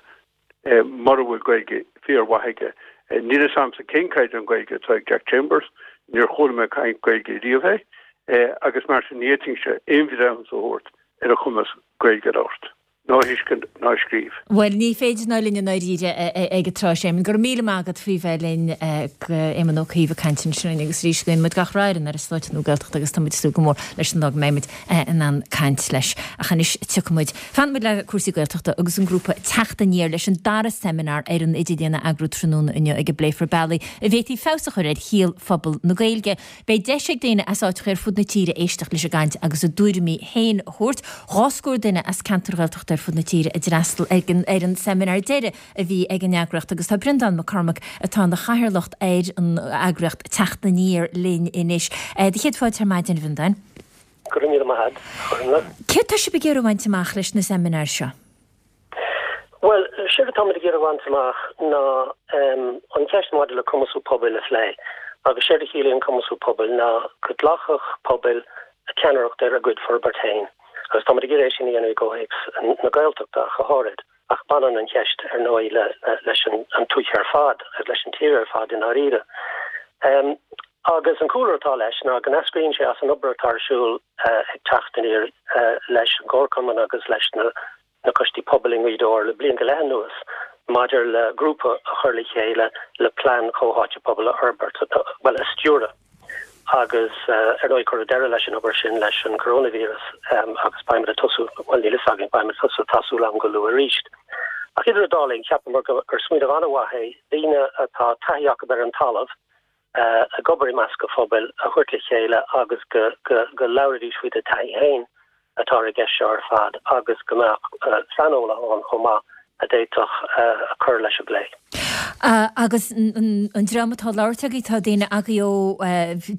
mura bhfuil Gaeilge fíormhaith aige. Níl a fhios agamsa cén caighdeán Gaeilge atá ag Jack Chambers, níor chuala mé ag caint Gaeilge riamh é agus mar sin ní fhéadfainnse aon bhreithiúnas a thabhairt ar a chumas Gaeilge a labhairt. ná a thuiscint ná a scríobh. Bhuel, ní féidir ná linn i ndáiríre ag an tráth sin. Go raibh míle maith agat faoi bheith linn, Éamon Ó Cuív ag caint ansin linn agus arís guíonn muid gach rath ar an Aire Stáit nua Gaeltachta agus tá muid ag súil go mór leis an lá go mbeidh muid in ann caint leis. Ach anois tiocfaidh muid, fanfaidh muid le cúrsaí Gaeltachta agus an grúpa Teacht Aniar leis an dara seimineár ar an idirlíon a eagrú tráthnóna inniu ag a bpléifear bealaí a bhféadfaí feabhas a chur ar shaol phobal na Gaeilge. Beidh deis ag daoine as áiteacha ar fud na tíre éisteacht leis an gcaint agus a dtuairimí féin a thabhairt. Dhá scór duine as ceantair Ghaeltachta ar fud na tíre a d'fhreastail ag an ar an seimineár deiridh a bhí ag an eagraíocht agus tá Breandán Mac Cormaic atá ina chathaoirleach ar an eagraíocht Teacht Aniar linn anois. Do chéad fáilte ar maidin, a Bhreandáin. Go raibh míle maith agat, a Chormaic. Céard tá sibh ag iarraidh a bhaint amach leis na seimineáir seo? Bhuel, séard atáimid ag iarraidh a bhaint amach ná an cheist maidir le cumasú pobail a phlé. Agus séard a chiallaíonn cumasú pobail ná go nglacfadh pobail ceannaireacht ar a gcuid forbairt féin. Agus táimid ag iarraidh é sin a dhéanamh i gcomhthéacs na Gaeltachta ach go háirid. Ach baineann an cheist, ar ndóigh, leis an tuaithe ar fad agus leis an tír ar fad i ndáiríre. Agus an cúlra atá leis ná go n-eascraíonn sé as an obair atá ar siúl ag Teacht Aniar leis an gComharchumann agus leis na na coistí pobail i nGaoth Dobhair le bliain go leith anuas maidir le grúpa a chur le chéile le plean comhtháite pobail a fhorbairt, bhuel, a stiúradh. Agus ar ndóigh cuireadh deireadh leis an obair sin leis an coronavirus agus beimid ag tosú, bhuel níl fhios againn, beimid ag tosú, tá súil agam go luath arís. Ach idir an dá linn, cheapamar gur smaoineamh an-mhaith é daoine atá taithí acu ar an talamh, ag obair i measc an phobail a thabhairt le chéile agus go go labhraídís faoina dtaithí féin atá ar an gceist seo ar fad agus go mbeadh saineolaithe ann chomh maith a d'fhéadfadh cur leis an bplé. Agus an dream atá ag labhairt agaibh, tá daoine agaibh ó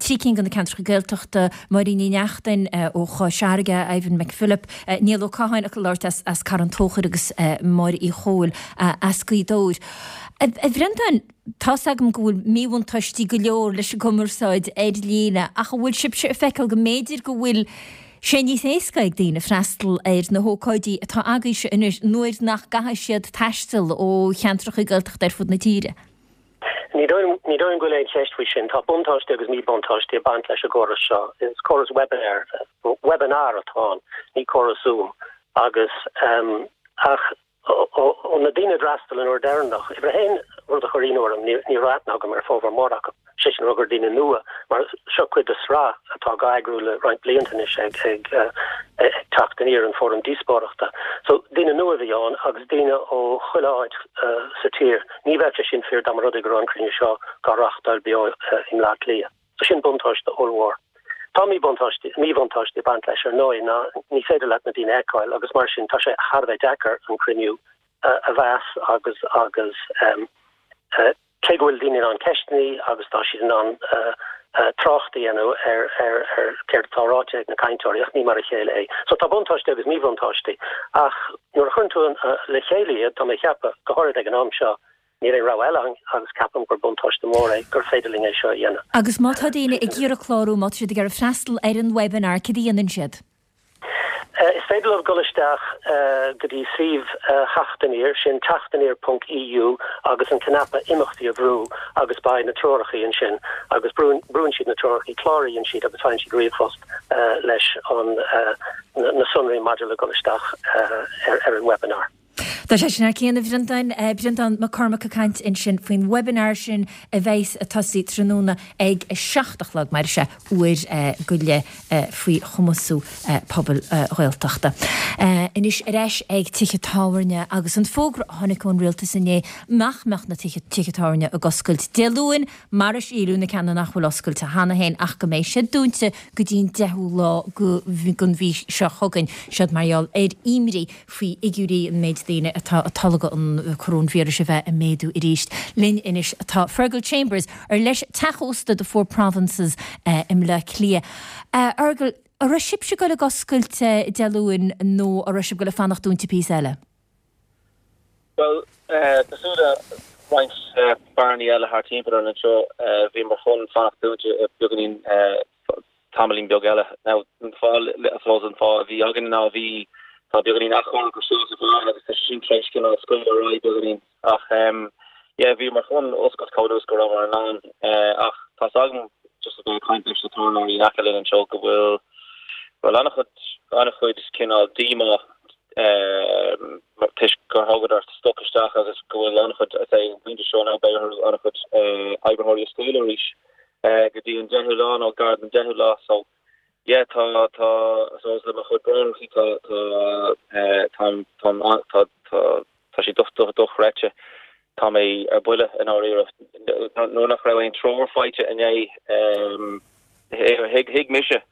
trí cinn de na ceantracha Gaeltachta, Máirín Ní Neachtain ó Chois Fharraige, Ivan McPhillip, Niall Ó Catháin ag labhairt as Carn Tóchair agus Máire Uí Chomhaill as Gaoth Dobhair. A Bhreandáin, tá's agam go bhfuil míbhuntáistí go leor leis an gcumarsáid ar líne ach an bhfuil sibhse ag feiceáil go mb'fhéidir go bhfuil sé níos éasca ag daoine freastal ar na hócáidí atá agaibhse anois nuair nach gcaithfidh siad taisteal ó cheantracha Gaeltachta ar fud na tíre? Ní dóigh liom go bhfuil aon cheist faoi sin. Tá buntáistí agus míbhuntáistí ag baint leis an gcóras seo. Is córas webinar, webinar atá ann, ní córas Zoom. Agus ach ó na daoine a d'fhreastail an uair deireanach, uimhir a haon, rud a chuir ionadh orm, ní raibh aithne agam ar formhór mór acu, sé sin le rá gur daoine nua mar seo cuid de sraith atá á eagrú le roinnt blianta anois ag ag ag Teacht Aniar an Fóram Díospóireachta. So daoine nua a bhí ann agus daoine ó chuile áit sa tír. Ní bheadh sé sin fíor dá mba rud é go raibh an cruinniú seo á reáchtáil beo i mBleá Cliath. So sin buntáiste ollmhór. Tá míbhuntáiste míbhuntáiste ag baint leis ar ndóigh ná ní féidir leat na daoine a fheiceáil agus mar sin tá sé thar a bheith deacair an cruinniú a mheas agus agus cé go bhfuil daoine in ann ceisteanna agus tá siad in ann trácht a dhéanamh ar ar ar céard atá ráite ag na cainteoirí ach ní mar a chéile é. So tá buntáistí agus míbhuntáistí ach nuair a chuireann tú le chéile iad tá mé ag ceapadh go háirid ag an am seo níl aon rogha eile ann agus ceapaim gur buntáiste mór é gur féidir linn é seo a dhéanamh. Agus má tá daoine ag iarraidh clárú, má tá siad ag iarraidh freastal ar an webinar, cad a dhéanann siad? Is féidir leo dul isteach go dtí suíomh Theacht Aniar, sin teachtaniar ponc EU agus an cnaipe imeachtaí a bhrú agus beidh na treorachaí ansin agus brúnn siad na treorachaí, cláraíonn siad agus faigheann siad ríomhphost leis an na sonraí maidir le dul isteach ar an webinar. Tá sé sin thar cionn, a Bhreandáin, Breandán Mac Cormaic ag caint ansin faoin webinar sin a bheas ag tosaí tráthnóna ag a seacht a chlog, mar is ea, uair go leith faoi chumasú pobail Ghaeltachta. Anois ar ais ag tithe tábhairne agus an fógra a tháinig ón rialtas inné nach mbeadh na tithe tábhairne ag oscailt Dé Luain mar a síleadh, na ceanna nach bhfuil oscailte cheana féin ach go mbeidh siad dúnta go dtí an deichiú lá den mhí seo chugainn. Siod mar gheall ar imní faoi fhigiúirí an méid daoine atá ag tolgadh an coróinvíreas a bheith ag méadú arís. Linn anois atá Fergal Chambers, ar leis teach ósta The Four Provinces i mBleá Cliath. A Fhergal, an raibh sibhse ag dul ag oscailt Dé Luain nó an raibh sibh ag dul ag fanacht dúnta píosa eile? Bhuel, cosúil le roinnt bearannaí eile thart timpeall orainn anseo, bhíomar chun fanacht dúnta beagáinín tamaillín beag eile. Now, an fáth, I suppose, an fáth a bhí againn ná bhí, tá beagáinín athchóiriú ar siúl sa bheár agus tá sé sin tar éis cineál scaoileadh ar aghaidh beagáinín. Ach em, yeah, bhíomar chun oscailt chomh luath is go rabhamar in ann. Eh, ach tá's agam, just a bheith ag caint leis na tábhairneoirí in aice linn anseo go bhfuil, bhfuil an-chuid, an-chuid cineál díomá em, toisc gur thógadar stoc isteach agus go bhfuil an-chuid, I'd say, an pointe seo now beidh orthu an-chuid eh, oibritheoirí a scaoileadh arís. go dtí an deichiú lá nó gar don deichiú lá so yeah tá tá I suppose le mo chuid bráithreachaí tá tá tá tá tá tá tá sé docht dochreidte tá mé ar buile i ndáiríre nuair nach raibh aon treoir faighte inné thuig thuig mise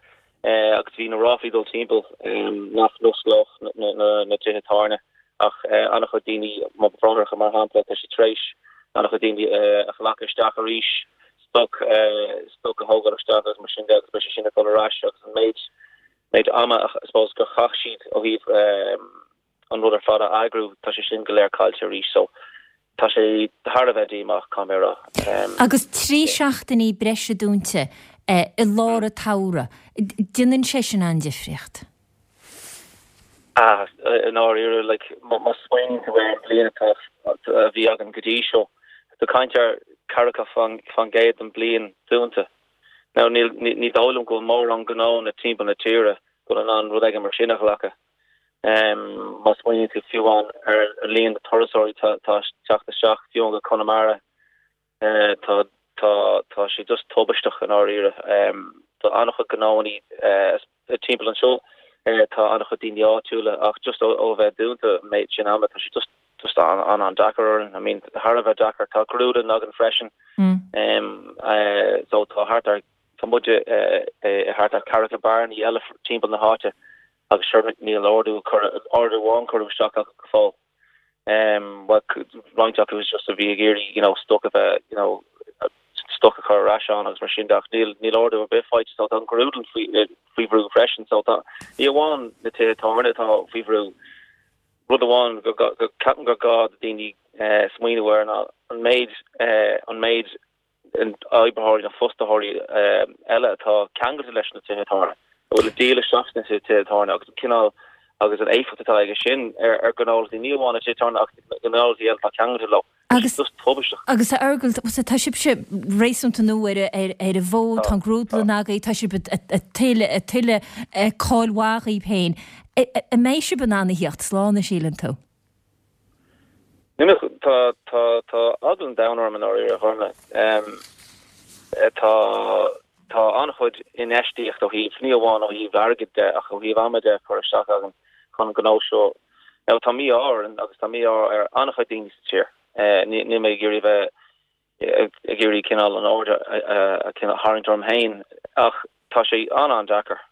agus bhí na ráflaí dul timpeall nach n-osclódh na na na tithe tábhairne ach an-chuid daoine mo bhráithreacha mar shampla tá siad tar éis an-chuid daoine a ghlacadh isteach arís stoc stoc a thógáil isteach agus mar sin de agus beidh sé sin ag dul ar ais agus an méid méid ama I suppose gur chaith siad ó thaobh an rud ar fad a eagrú tá sé sin go léir caillte arís so tá sé thar a bheith díomách caithfidh mé a rá. Agus trí seachtainí breise dúnta i lár an tsamhraidh, déanann sé sin an-difríocht. Ah, i ndáiríre, like, má smaoiníonn tú ar an bhliain atá, a bhí againn go dtí seo, tá caint ar ceathracha faoin gcéad den bhliain dúnta. Now, níl, ní dóigh liom go bhfuil mórán gnónna timpeall na tíre go bhfuil in ann rud éigin mar sin a ghlacadh. Má smaoiníonn tú fiú amháin ar an líon de turasóirí atá ag teacht isteach, fiú amháin go Conamara, tá, tá, tá sé just tubaisteach i ndáiríre. Tá an-chuid gnóannaí timpeall anseo, tá an-chuid daoine áitiúla ach just ó bheith dúnta an méid sin ama, tá sé just just an-an-deacair orainn. I mean, thar a bheith deacair. Tá grúdlann againn freisin. So tá thart ar, tá muid i thart ar ceathracha bearannaí eile timpeall na háite agus sure níl ordú ordú amháin curtha isteach acu go fóill. Bhuel, roinnt acu is just a bhí ag iarraidh you know stoc a bheith you know stoc a chur ar ais ann agus mar sin de ach níl níl ordú ar bith faighte so tá an grúdlann faoi faoi bhrú freisin so tá ní amháin na tithe tábhairne atá faoi bhrú. Rud amháin go go ceapaim gur gá do daoine smaoineamh air ná an méid an méid oibritheoirí nó fostaitheoirí eile atá ceangailte leis na tithe tábhairne, a bhfuil ag díol isteach sna tithe tábhairne agus an cineál agus an éifeacht atá aige sin ar ar ghnólachtaí, ní amháin na tithe tábhairne ach na gnólachtaí eile atá ceangailte leo. Agus agus a Fheargail, tá sibhse réasúnta nua ar ar ar an bhfód, tá an grúdlann agaibh, tá sibh ag tuilleadh cáil mhaith dhaoibh féin. An mbeidh sibh in ann a theacht slán, a síleann tú? Níl, tá tá tá eagla an domhain orm i ndáiríre, a Ghormfhlaith. Tá Tá an-chuid infheistíocht ó thaobh, ní amháin ó thaobh airgid de ach ó thaobh ama de curtha isteach againn chun an gnó seo. Now tá mí-ádh orainn agus tá mí-ádh ar an-chuid daoine sa tír. Níl mé ag iarraidh bheith ag iarraidh cineál an aird a tharraingt orm féin ach tá sé an-an-deacair,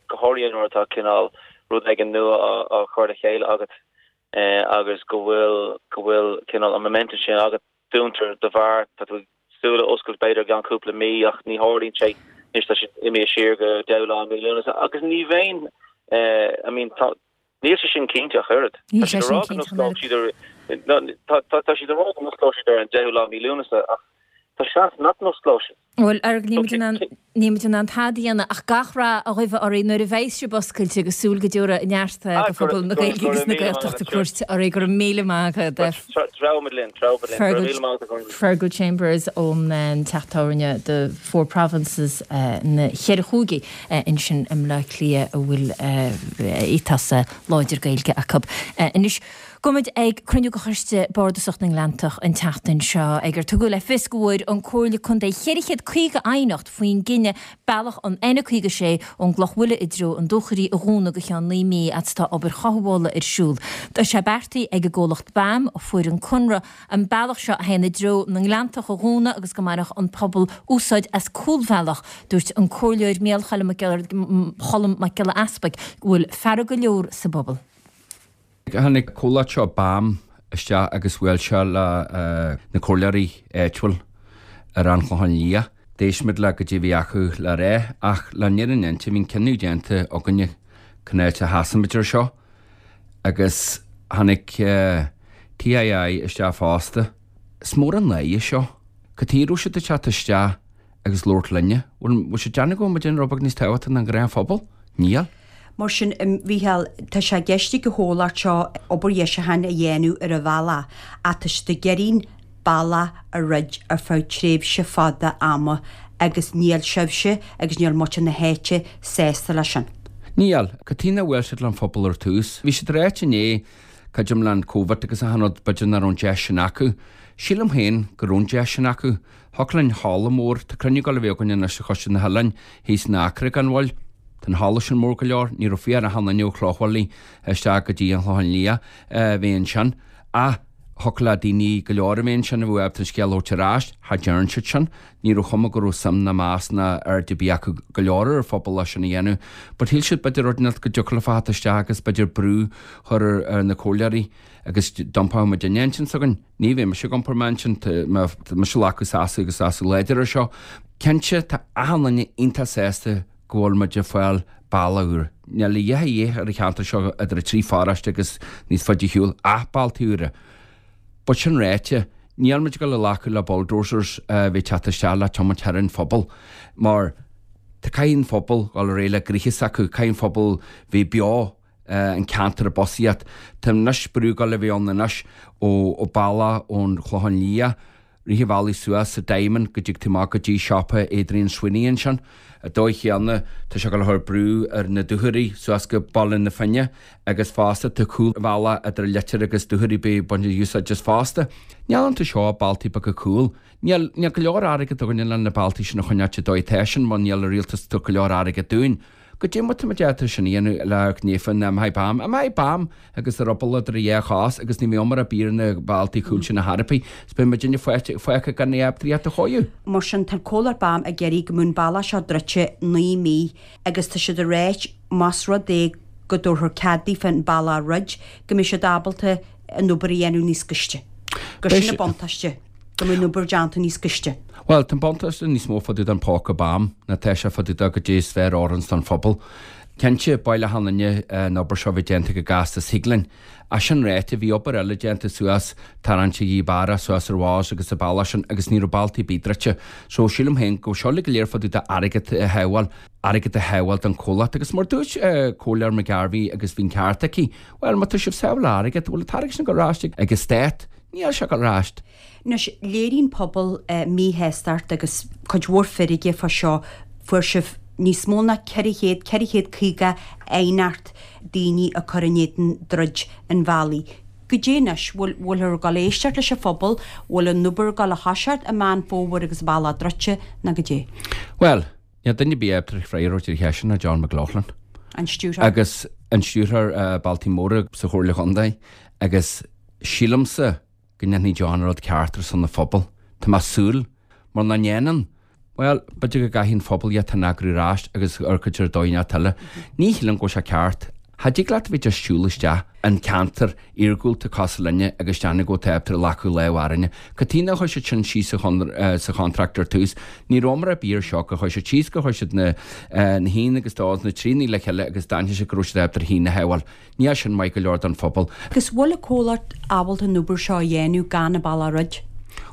go háirithe nuair atá cineál rud éigin nua á chur le chéile agat agus go bhfuil go bhfuil cineál an momentum sin agat. Dúntar do bheár, tá tú ag súil le oscailt b'fhéidir i gceann cúpla mí ach ní tharlaíonn sé, anois tá sé imithe siar go deichiú lá mí Lúnasa agus ní bheinn, I mean tá, níl sé sin cinnte ach oiread. Tá siad ag rá go n-osclóidh siad ar, tá siad ag rá go n-osclóidh siad ar an deichiú lá mí Lúnasa ach tá seans nach n-osclóidh siad. Bhuel, ar níl muid in ann, níl muid in ann tada a dhéanamh ach gach rath a ghuí oraibh nuair a bheidh sibh oscailte agus súil go dtabharfaidh neart do phobal na Gaeilge agus na Gaeltachta cuairt oraibh. Go raibh míle maith agat. Treabhaimid linn, treabhaimid linn. Go raibh míle maith agat. Fergal Chambers ón teach tábhairne The Four Provinces na Ceithre Chúigí ansin i mBleá Cliath a bhfuil ethos láidir Gaeilge acu. Anois, Gabhfaidh muid ag cruinniú de Choiste Bardasach na nGleanntach an tseachtain seo ag ar tugadh le fios go bhfuair an Comhairle Contae ceithre chéad caoga aighneacht faoin gcinneadh bealach an N caoga sé ón gCloch Mhuile i dtreo an Dúchoraidh a dhúnadh go cheann naoi mí fhad is atá obair chothabhála ar siúl. Tá sé beartaithe ag an gcomhlacht BAM, a fuair an conradh, an bealach seo a théann i dtreo na nGleanntach a dhúnadh agus go mbainfeadh an pobal úsáid as cúlbhealach. Dúirt an Comhairleoir Micheál Cholm Mac Giolla Easpaig go bhfuil fearg go leor sa bpobal. Tháinig comhlacht seo BAM isteach agus bhuail sé le na comhairleoirí áitiúil ar an Chlochán Liath. D'éist muid le goidé a bhí acu le rá ach le fírinne a inse bhí an cinneadh déanta againne cén áit a sheasaimid ar seo agus tháinig TII isteach fosta. Is mór an náire seo. Cad chuige a raibh siad ag teacht isteach agus labhairt linne? Bhfuil siad ag déanamh go bhfuil muid ag déanamh rud beag níos tábhachtaí ná an gnáthphobal? Níl. Mar sin, a Mhícheáil, tá sé i gceist ag an chomhlacht seo obair dheisiúcháin a dhéanamh ar an bhealach ach tá siad ag iarraidh an bealach a dhruid ar feadh tréimhse fada ama agus níl sibhse agus níl muintir na háite sásta leis sin. Níl. Cad chuige nár bhuail siad leis an phobal ar tús? Bhí siad ag ráit inné, creidim le an Covid agus achan rud, b'fhéidir nach raibh an deis sin acu. Sílim féin go raibh an deis sin acu. Thiocfadh linn halla mór, tá cruinniú ag dul a bheith againn anois ar Choiste na hOileáin thíos in Acra gan mhoill. Tá an halla sin mór go leor, ní raibh fiach ar achan duine ó Chloch Mhuile isteach go dtí an Chlochán Liath a bheith ansin. Ach thiocfadh le daoine go leor a bheith ansin a bheadh ábalta an scéal a thabhairt ar ais, cha dtearn siad sin. Ní raibh cuma go raibh suim ná meas ná aird ar bith acu go leor ar an phobal leis sin a dhéanamh. But shíl siad b'fhéidir rud inteacht go dtiocfadh leo theacht isteach agus b'fhéidir brú a chur ar na comhairleoirí agus d'iompódh muidinne intinn s'againn. Ní bheidh mise ag iompar m'intinn, tá mise ag glacadh seasamh agus seasamh láidir ar seo. Cinnte, tá achan duine iontach sásta go bhfuil muid ag fáil bealach úr. Níl a dhath a dhíth ar an cheantar seo idir an trí pharóiste agus níos faide ar shiúl ach bealtaí úra. But sin ráite, níl muid ag dul a ghlacadh le bulldozers a bheith ag teacht isteach le tiomáint thar an phobal mar tá caithfidh an phobal dhul ar aghaidh le gnoithe s'acu, caithfidh an phobal bheith beo an ceantar i bposaíocht. Tá anois brú ag dul a bheith ann anois ó bealach ón Chlochán Liath, Rith an bhealaigh suas sa Diamond go dtig tú amach go dtí siopa Adrian Sweeney ansin. An dóigh chéanna tá sé ag dul a chur brú ar na Dúchoraidh suas go Baile na Finne agus fosta tá cúlbhealach idir Leitir agus Dúchoraidh beidh baint úsáid as fosta. Níl iontu seo ach bealtaí beaga cúil. Níl níl go leor airgead againne le na bealtaí sin a choinneáilt an dóigh atá sin mar níl an rialtas ag tabhairt go leor airgead dúinn. Goidé mar tá muid ábalta sin a dhéanamh le gnéithe na mbeidh BAM. An mbeidh BAM agus a ruball idir a dhá chos agus ní bheidh iomarca ar bith ar na bealtaí cúil sin a thairpeadh is beidh muidinne fágtha gan é ábalta a chóiriú. Mar sin, tá an comhlacht BAM ag iarraidh go mbeadh an bealach seo druidte naoi mí agus tá siad ag ráit más rud é go dtabharfar cead daofa an bealach a dhruid, go mbeidh siad ábalta an obair a dhéanamh níos gaiste. Gur sin an buntáiste. go mbeidh an obair déanta níos gaiste. Bhuel, tá an buntáiste níos mó fá dtaobh den póca BAM ná tá sé fá dtaobh de goidé is fearr a oireanns don phobal. Cinnte, b'áil le achan duine an obair seo a bheith déanta go gasta is thig linn. Ach sin ráite, bhí obair eile déanta suas tarraingt Ghaoth Beara suas ar Mhaos agus sa bealach sin agus ní raibh bealtaí ar bith druidte. So, sílim féin go bhfuil seo uilig go léir fá dtaobh de airgead a shábháil, airgead a shábháil don chomhlacht. Agus mar dúirt Comhairleoir McGarvey agus bhí an ceart aici, bhuel, má tá sibh sábháil airgead, bhfuil an t-airgead sin ag dul ar ais ag an stát? Níl sé ag dul ar ais. Anois, léiríonn pobal míshástacht agus cuid mhór feirge fá seo. Fuair sibh níos mó ná ceithre chéad, ceithre chéad caoga aighneacht daoine ag cur in éadan druid an bhealaigh. Goidé anois? Bhfuil, bhfuilthear ag dul éisteacht leis an phobal? Bhfuil an obair ag dul a thoiseacht i Meán Fómhair agus an bealach druidte nó goidé? Bhuel, Níl duine ar bith ábalta freagra a thabhairt ar an cheist sin ná John McLaughlin. An stiúrthóir. Agus an stiúrthóir Bailte Móra sa Chomhairle Chontae agus sílimse go ndéanfaidh John an rud ceart ar son an phobail. Tá mé ag súil, mura ndéanann, bhuel, b'fhéidir go gcaithfidh an phobal iad a eagrú ar ais agus ar cuid ar dóigh inteacht eile. Ní shílim go bhfuil sé ceart. Cha dtig leat a bheith just siúl isteach in ceantar iargúlta cosúil linne agus déanamh go bhfuil tú ábalta glacadh lámh orainne. Cad chuige nár chuir siad sin síos sa chontract ar tús? Ní rabhamar ar bith ar seo gur chuir siad síos gur chuir siad na na haon agus dó agus na tríonnaí le chéile agus d'aithnigh siad go raibh siad ábalta ar haon a shábháil. Níl sin maith go leor don phobal. Agus bhfuil an comhlacht ábalta an obair seo a dhéanamh gan an bealach roid?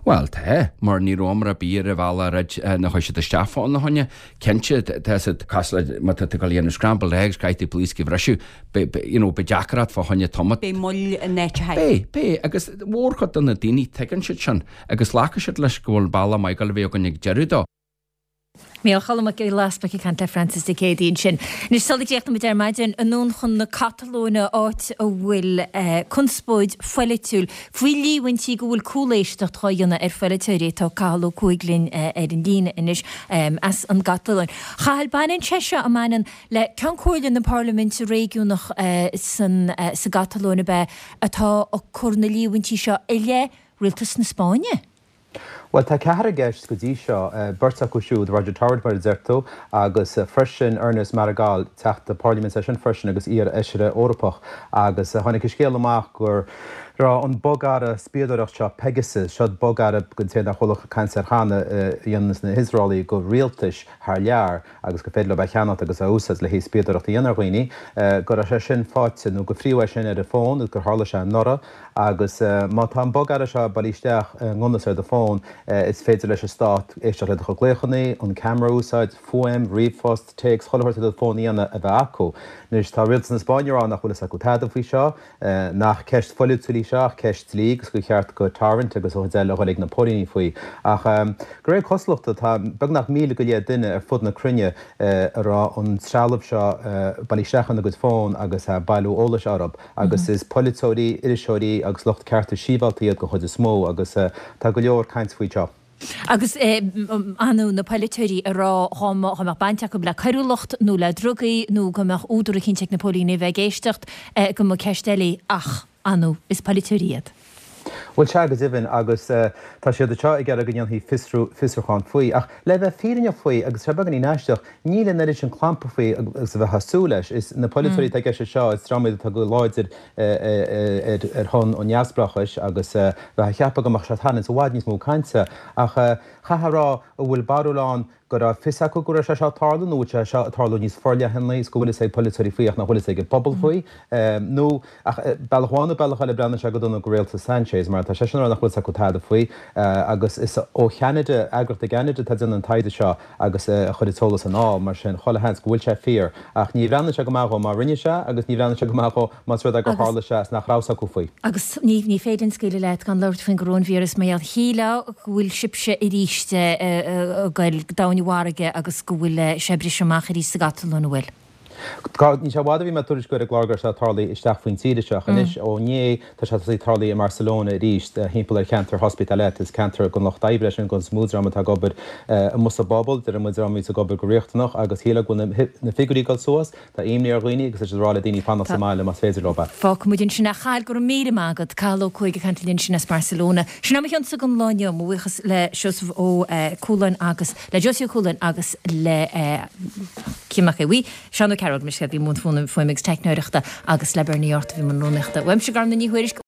Bhuel, tá, mar ní rabhamar ar bith ar an bhealach roid nuair a chuaigh siad isteach fána choinne. Cinnte, tá siad cosúil le má tá tú ag dul a dhéanamh scrambled eggs, caithfidh tú blaosc a bhriseadh, beidh, you know, beidh deacracht fá choinne tomat. Beidh moill in áiteacha. Beidh, beidh, agus mórchuid de na daoine, tuigeann siad sin agus glacfaidh siad leis go bhfuil bealach maith ag dul a bheith againn ag deireadh dó. Mícheál Choilm Mac Giolla Easpaig ag caint le Francis Dé Céadaoin ansin. Anois sula gcríochnaíonn muid ar maidin, anonn chun na Catalóine, áit a bhfuil conspóid pholaitiúil faoi líomhaintí go bhfuil cúléisteacht dhá dhéanamh ar pholaiteoirí. Tá Cathal Ó Cuaig linn ar an líne anois as an gCatalóin. Chathail, baineann sé seo, an mbaineann, le Ceann Comhairle na Parlaiminte Réigiúnach san sa gCatalóin ab ea atá ag cur na líomhaintí seo i leith Rialtas na Spáinne? Bhuel, tá ceathrar i gceist go dtí seo, beirt acu siúd, Roger Torrent mar a deir tú, agus freisin Ernest Maragall, teachta parlaiminte eisean freisin agus iar-fheisire Eorpach. Agus tháinig an scéal amach go raibh an bogearra spiadóireacht seo, Pegasus, seo bogearra don té nár chuala caint air cheana, a dhéananns na hIosraelaigh go rialtais thar lear agus gur féidir leo é a cheannacht agus a úsáid le haghaidh spiadóireacht a dhéanamh ar dhaoine, go raibh sé sin faighte nó gur fríothadh é sin ar a fón agus gur tharla sé anuraidh. Agus má tá an bogearra seo bailithe isteach i ngan fhios ar do fón, is féidir leis an stát éisteacht le do chuid glaochanna, an ceamara a úsáid, fuaim, ríomhphost, téacs, chuile shórt ar do fón a dhéanamh a bheith acu. Anois, tá rialtas na Spáinne ag rá nach bhfuil fhios acu tada faoi seo, nach ceist pholaitiúil í seo ach ceist dlí agus gur cheart go Torrent agus a chuid eile a dhul ag na póilíní faoi. Ach de réir cosúlachta, tá beagnach míle go leith duine ar fud na cruinne a raibh an trealamh seo bailithe isteach ina gcuid fón agus ag bailiú eolais orthu. Agus is polaiteoirí, iriseoirí agus lucht cearta sibhialta iad den chuid is mó agus tá go leor caint faoi seo. Agus ar ndóigh na polaiteoirí ag rá dá mbeadh baint acu le coiriúlacht nó le drugaí nó go mbeadh údar eicínt ag na póilíní a bheith ag éisteacht go mba ceist eile í ach, ar ndóigh, is polaiteoirí iad. Bhuel, sea, go deimhin, agus tá siad anseo ag iarraidh go ndéanfaí fiosrú, fiosrúchán faoi. Ach le bheith fírinneach faoi, agus tá sé beagáinín aisteach, níl an oiread sin clampa faoi agus a bheifeá ag súil leis. Is na polaiteoirí atá i gceist anseo, is dream iad atá go láidir ar shon an neamhspleáchais agus bheifeá ag ceapadh go mbeadh sé ag tarraingt i bhfad níos mó cainte. Ach chaithfeá a rá, an bhfuil barúil ann go raibh fios acu go raibh sé seo ag tarlú nó bhfuil sé seo ag tarlú níos forleithne is go bhfuil fhios ag polaiteoirí faoi ach nach bhfuil fhios ag an bpobal faoi nó ach bealach amháin nó bealach eile breathnaíonn sé go dona go rialtas Sanchez mar tá seisean ag rá nach bhfuil fhios acu tada faoi agus is ó Cheanada, eagraíocht i gCeanada atá ag déanamh an taighde seo agus a chuir an t-eolas anall mar sin chuile sheans go bhfuil sé fíor ach ní bhreathnaíonn sé go maith dhó má rinne sé agus ní bhreathnaíonn sé go maith dhó más rud é gur tharla sé is nach raibh fhios acu faoi. Agus ní ní féidir linn scaoileadh leat gan labhairt faoin gcoróinvíreas mar gheall shílfeá go bhfuil sibhse arís ag goil domhain i bhfarraige agus go bhfuil sé ag briseadh amach arís sa gCatalóin, an bhfuil? Níl sé i bhfad ó bhí mé ag tuairisciú ar an gclár go raibh sé ag tarlú isteach faoin tír anseo ach anois ó inné tá sé tosaithe ag tarlú i mBarcelona arís thimpeall ar cheantar Hospitalet. Is ceantar den lucht oibre é sin den chuid is mó, dream atá ag obair amuigh sa bpobal, deireann muid, dream a bhíos ag obair go riachtanach agus shílfeá go bhfuil na figiúirí ag dul suas. Tá imní ar dhaoine agus tá siad ag rá le daoine fanacht sa mbaile más féidir leo. Fágfaidh muid ansin é. A Chathail, go raibh míle maith agat. Cathal Ó Cuaig ag caint linn ansin as Barcelona. Sin é mo chionsa don lá inniu. Mo bhuíochas le Seosamh Ó Cualáin agus le Josie Ó Cualáin agus le Cian Mac Aodha Bhuí, Seán Ó Cearúil, mise a bhí i mbun fuaime agus teicneoireachta agus le Bernie Art a bhí i mbun rúnaíochta. Uaimse, Garmna Ní Thuairisg.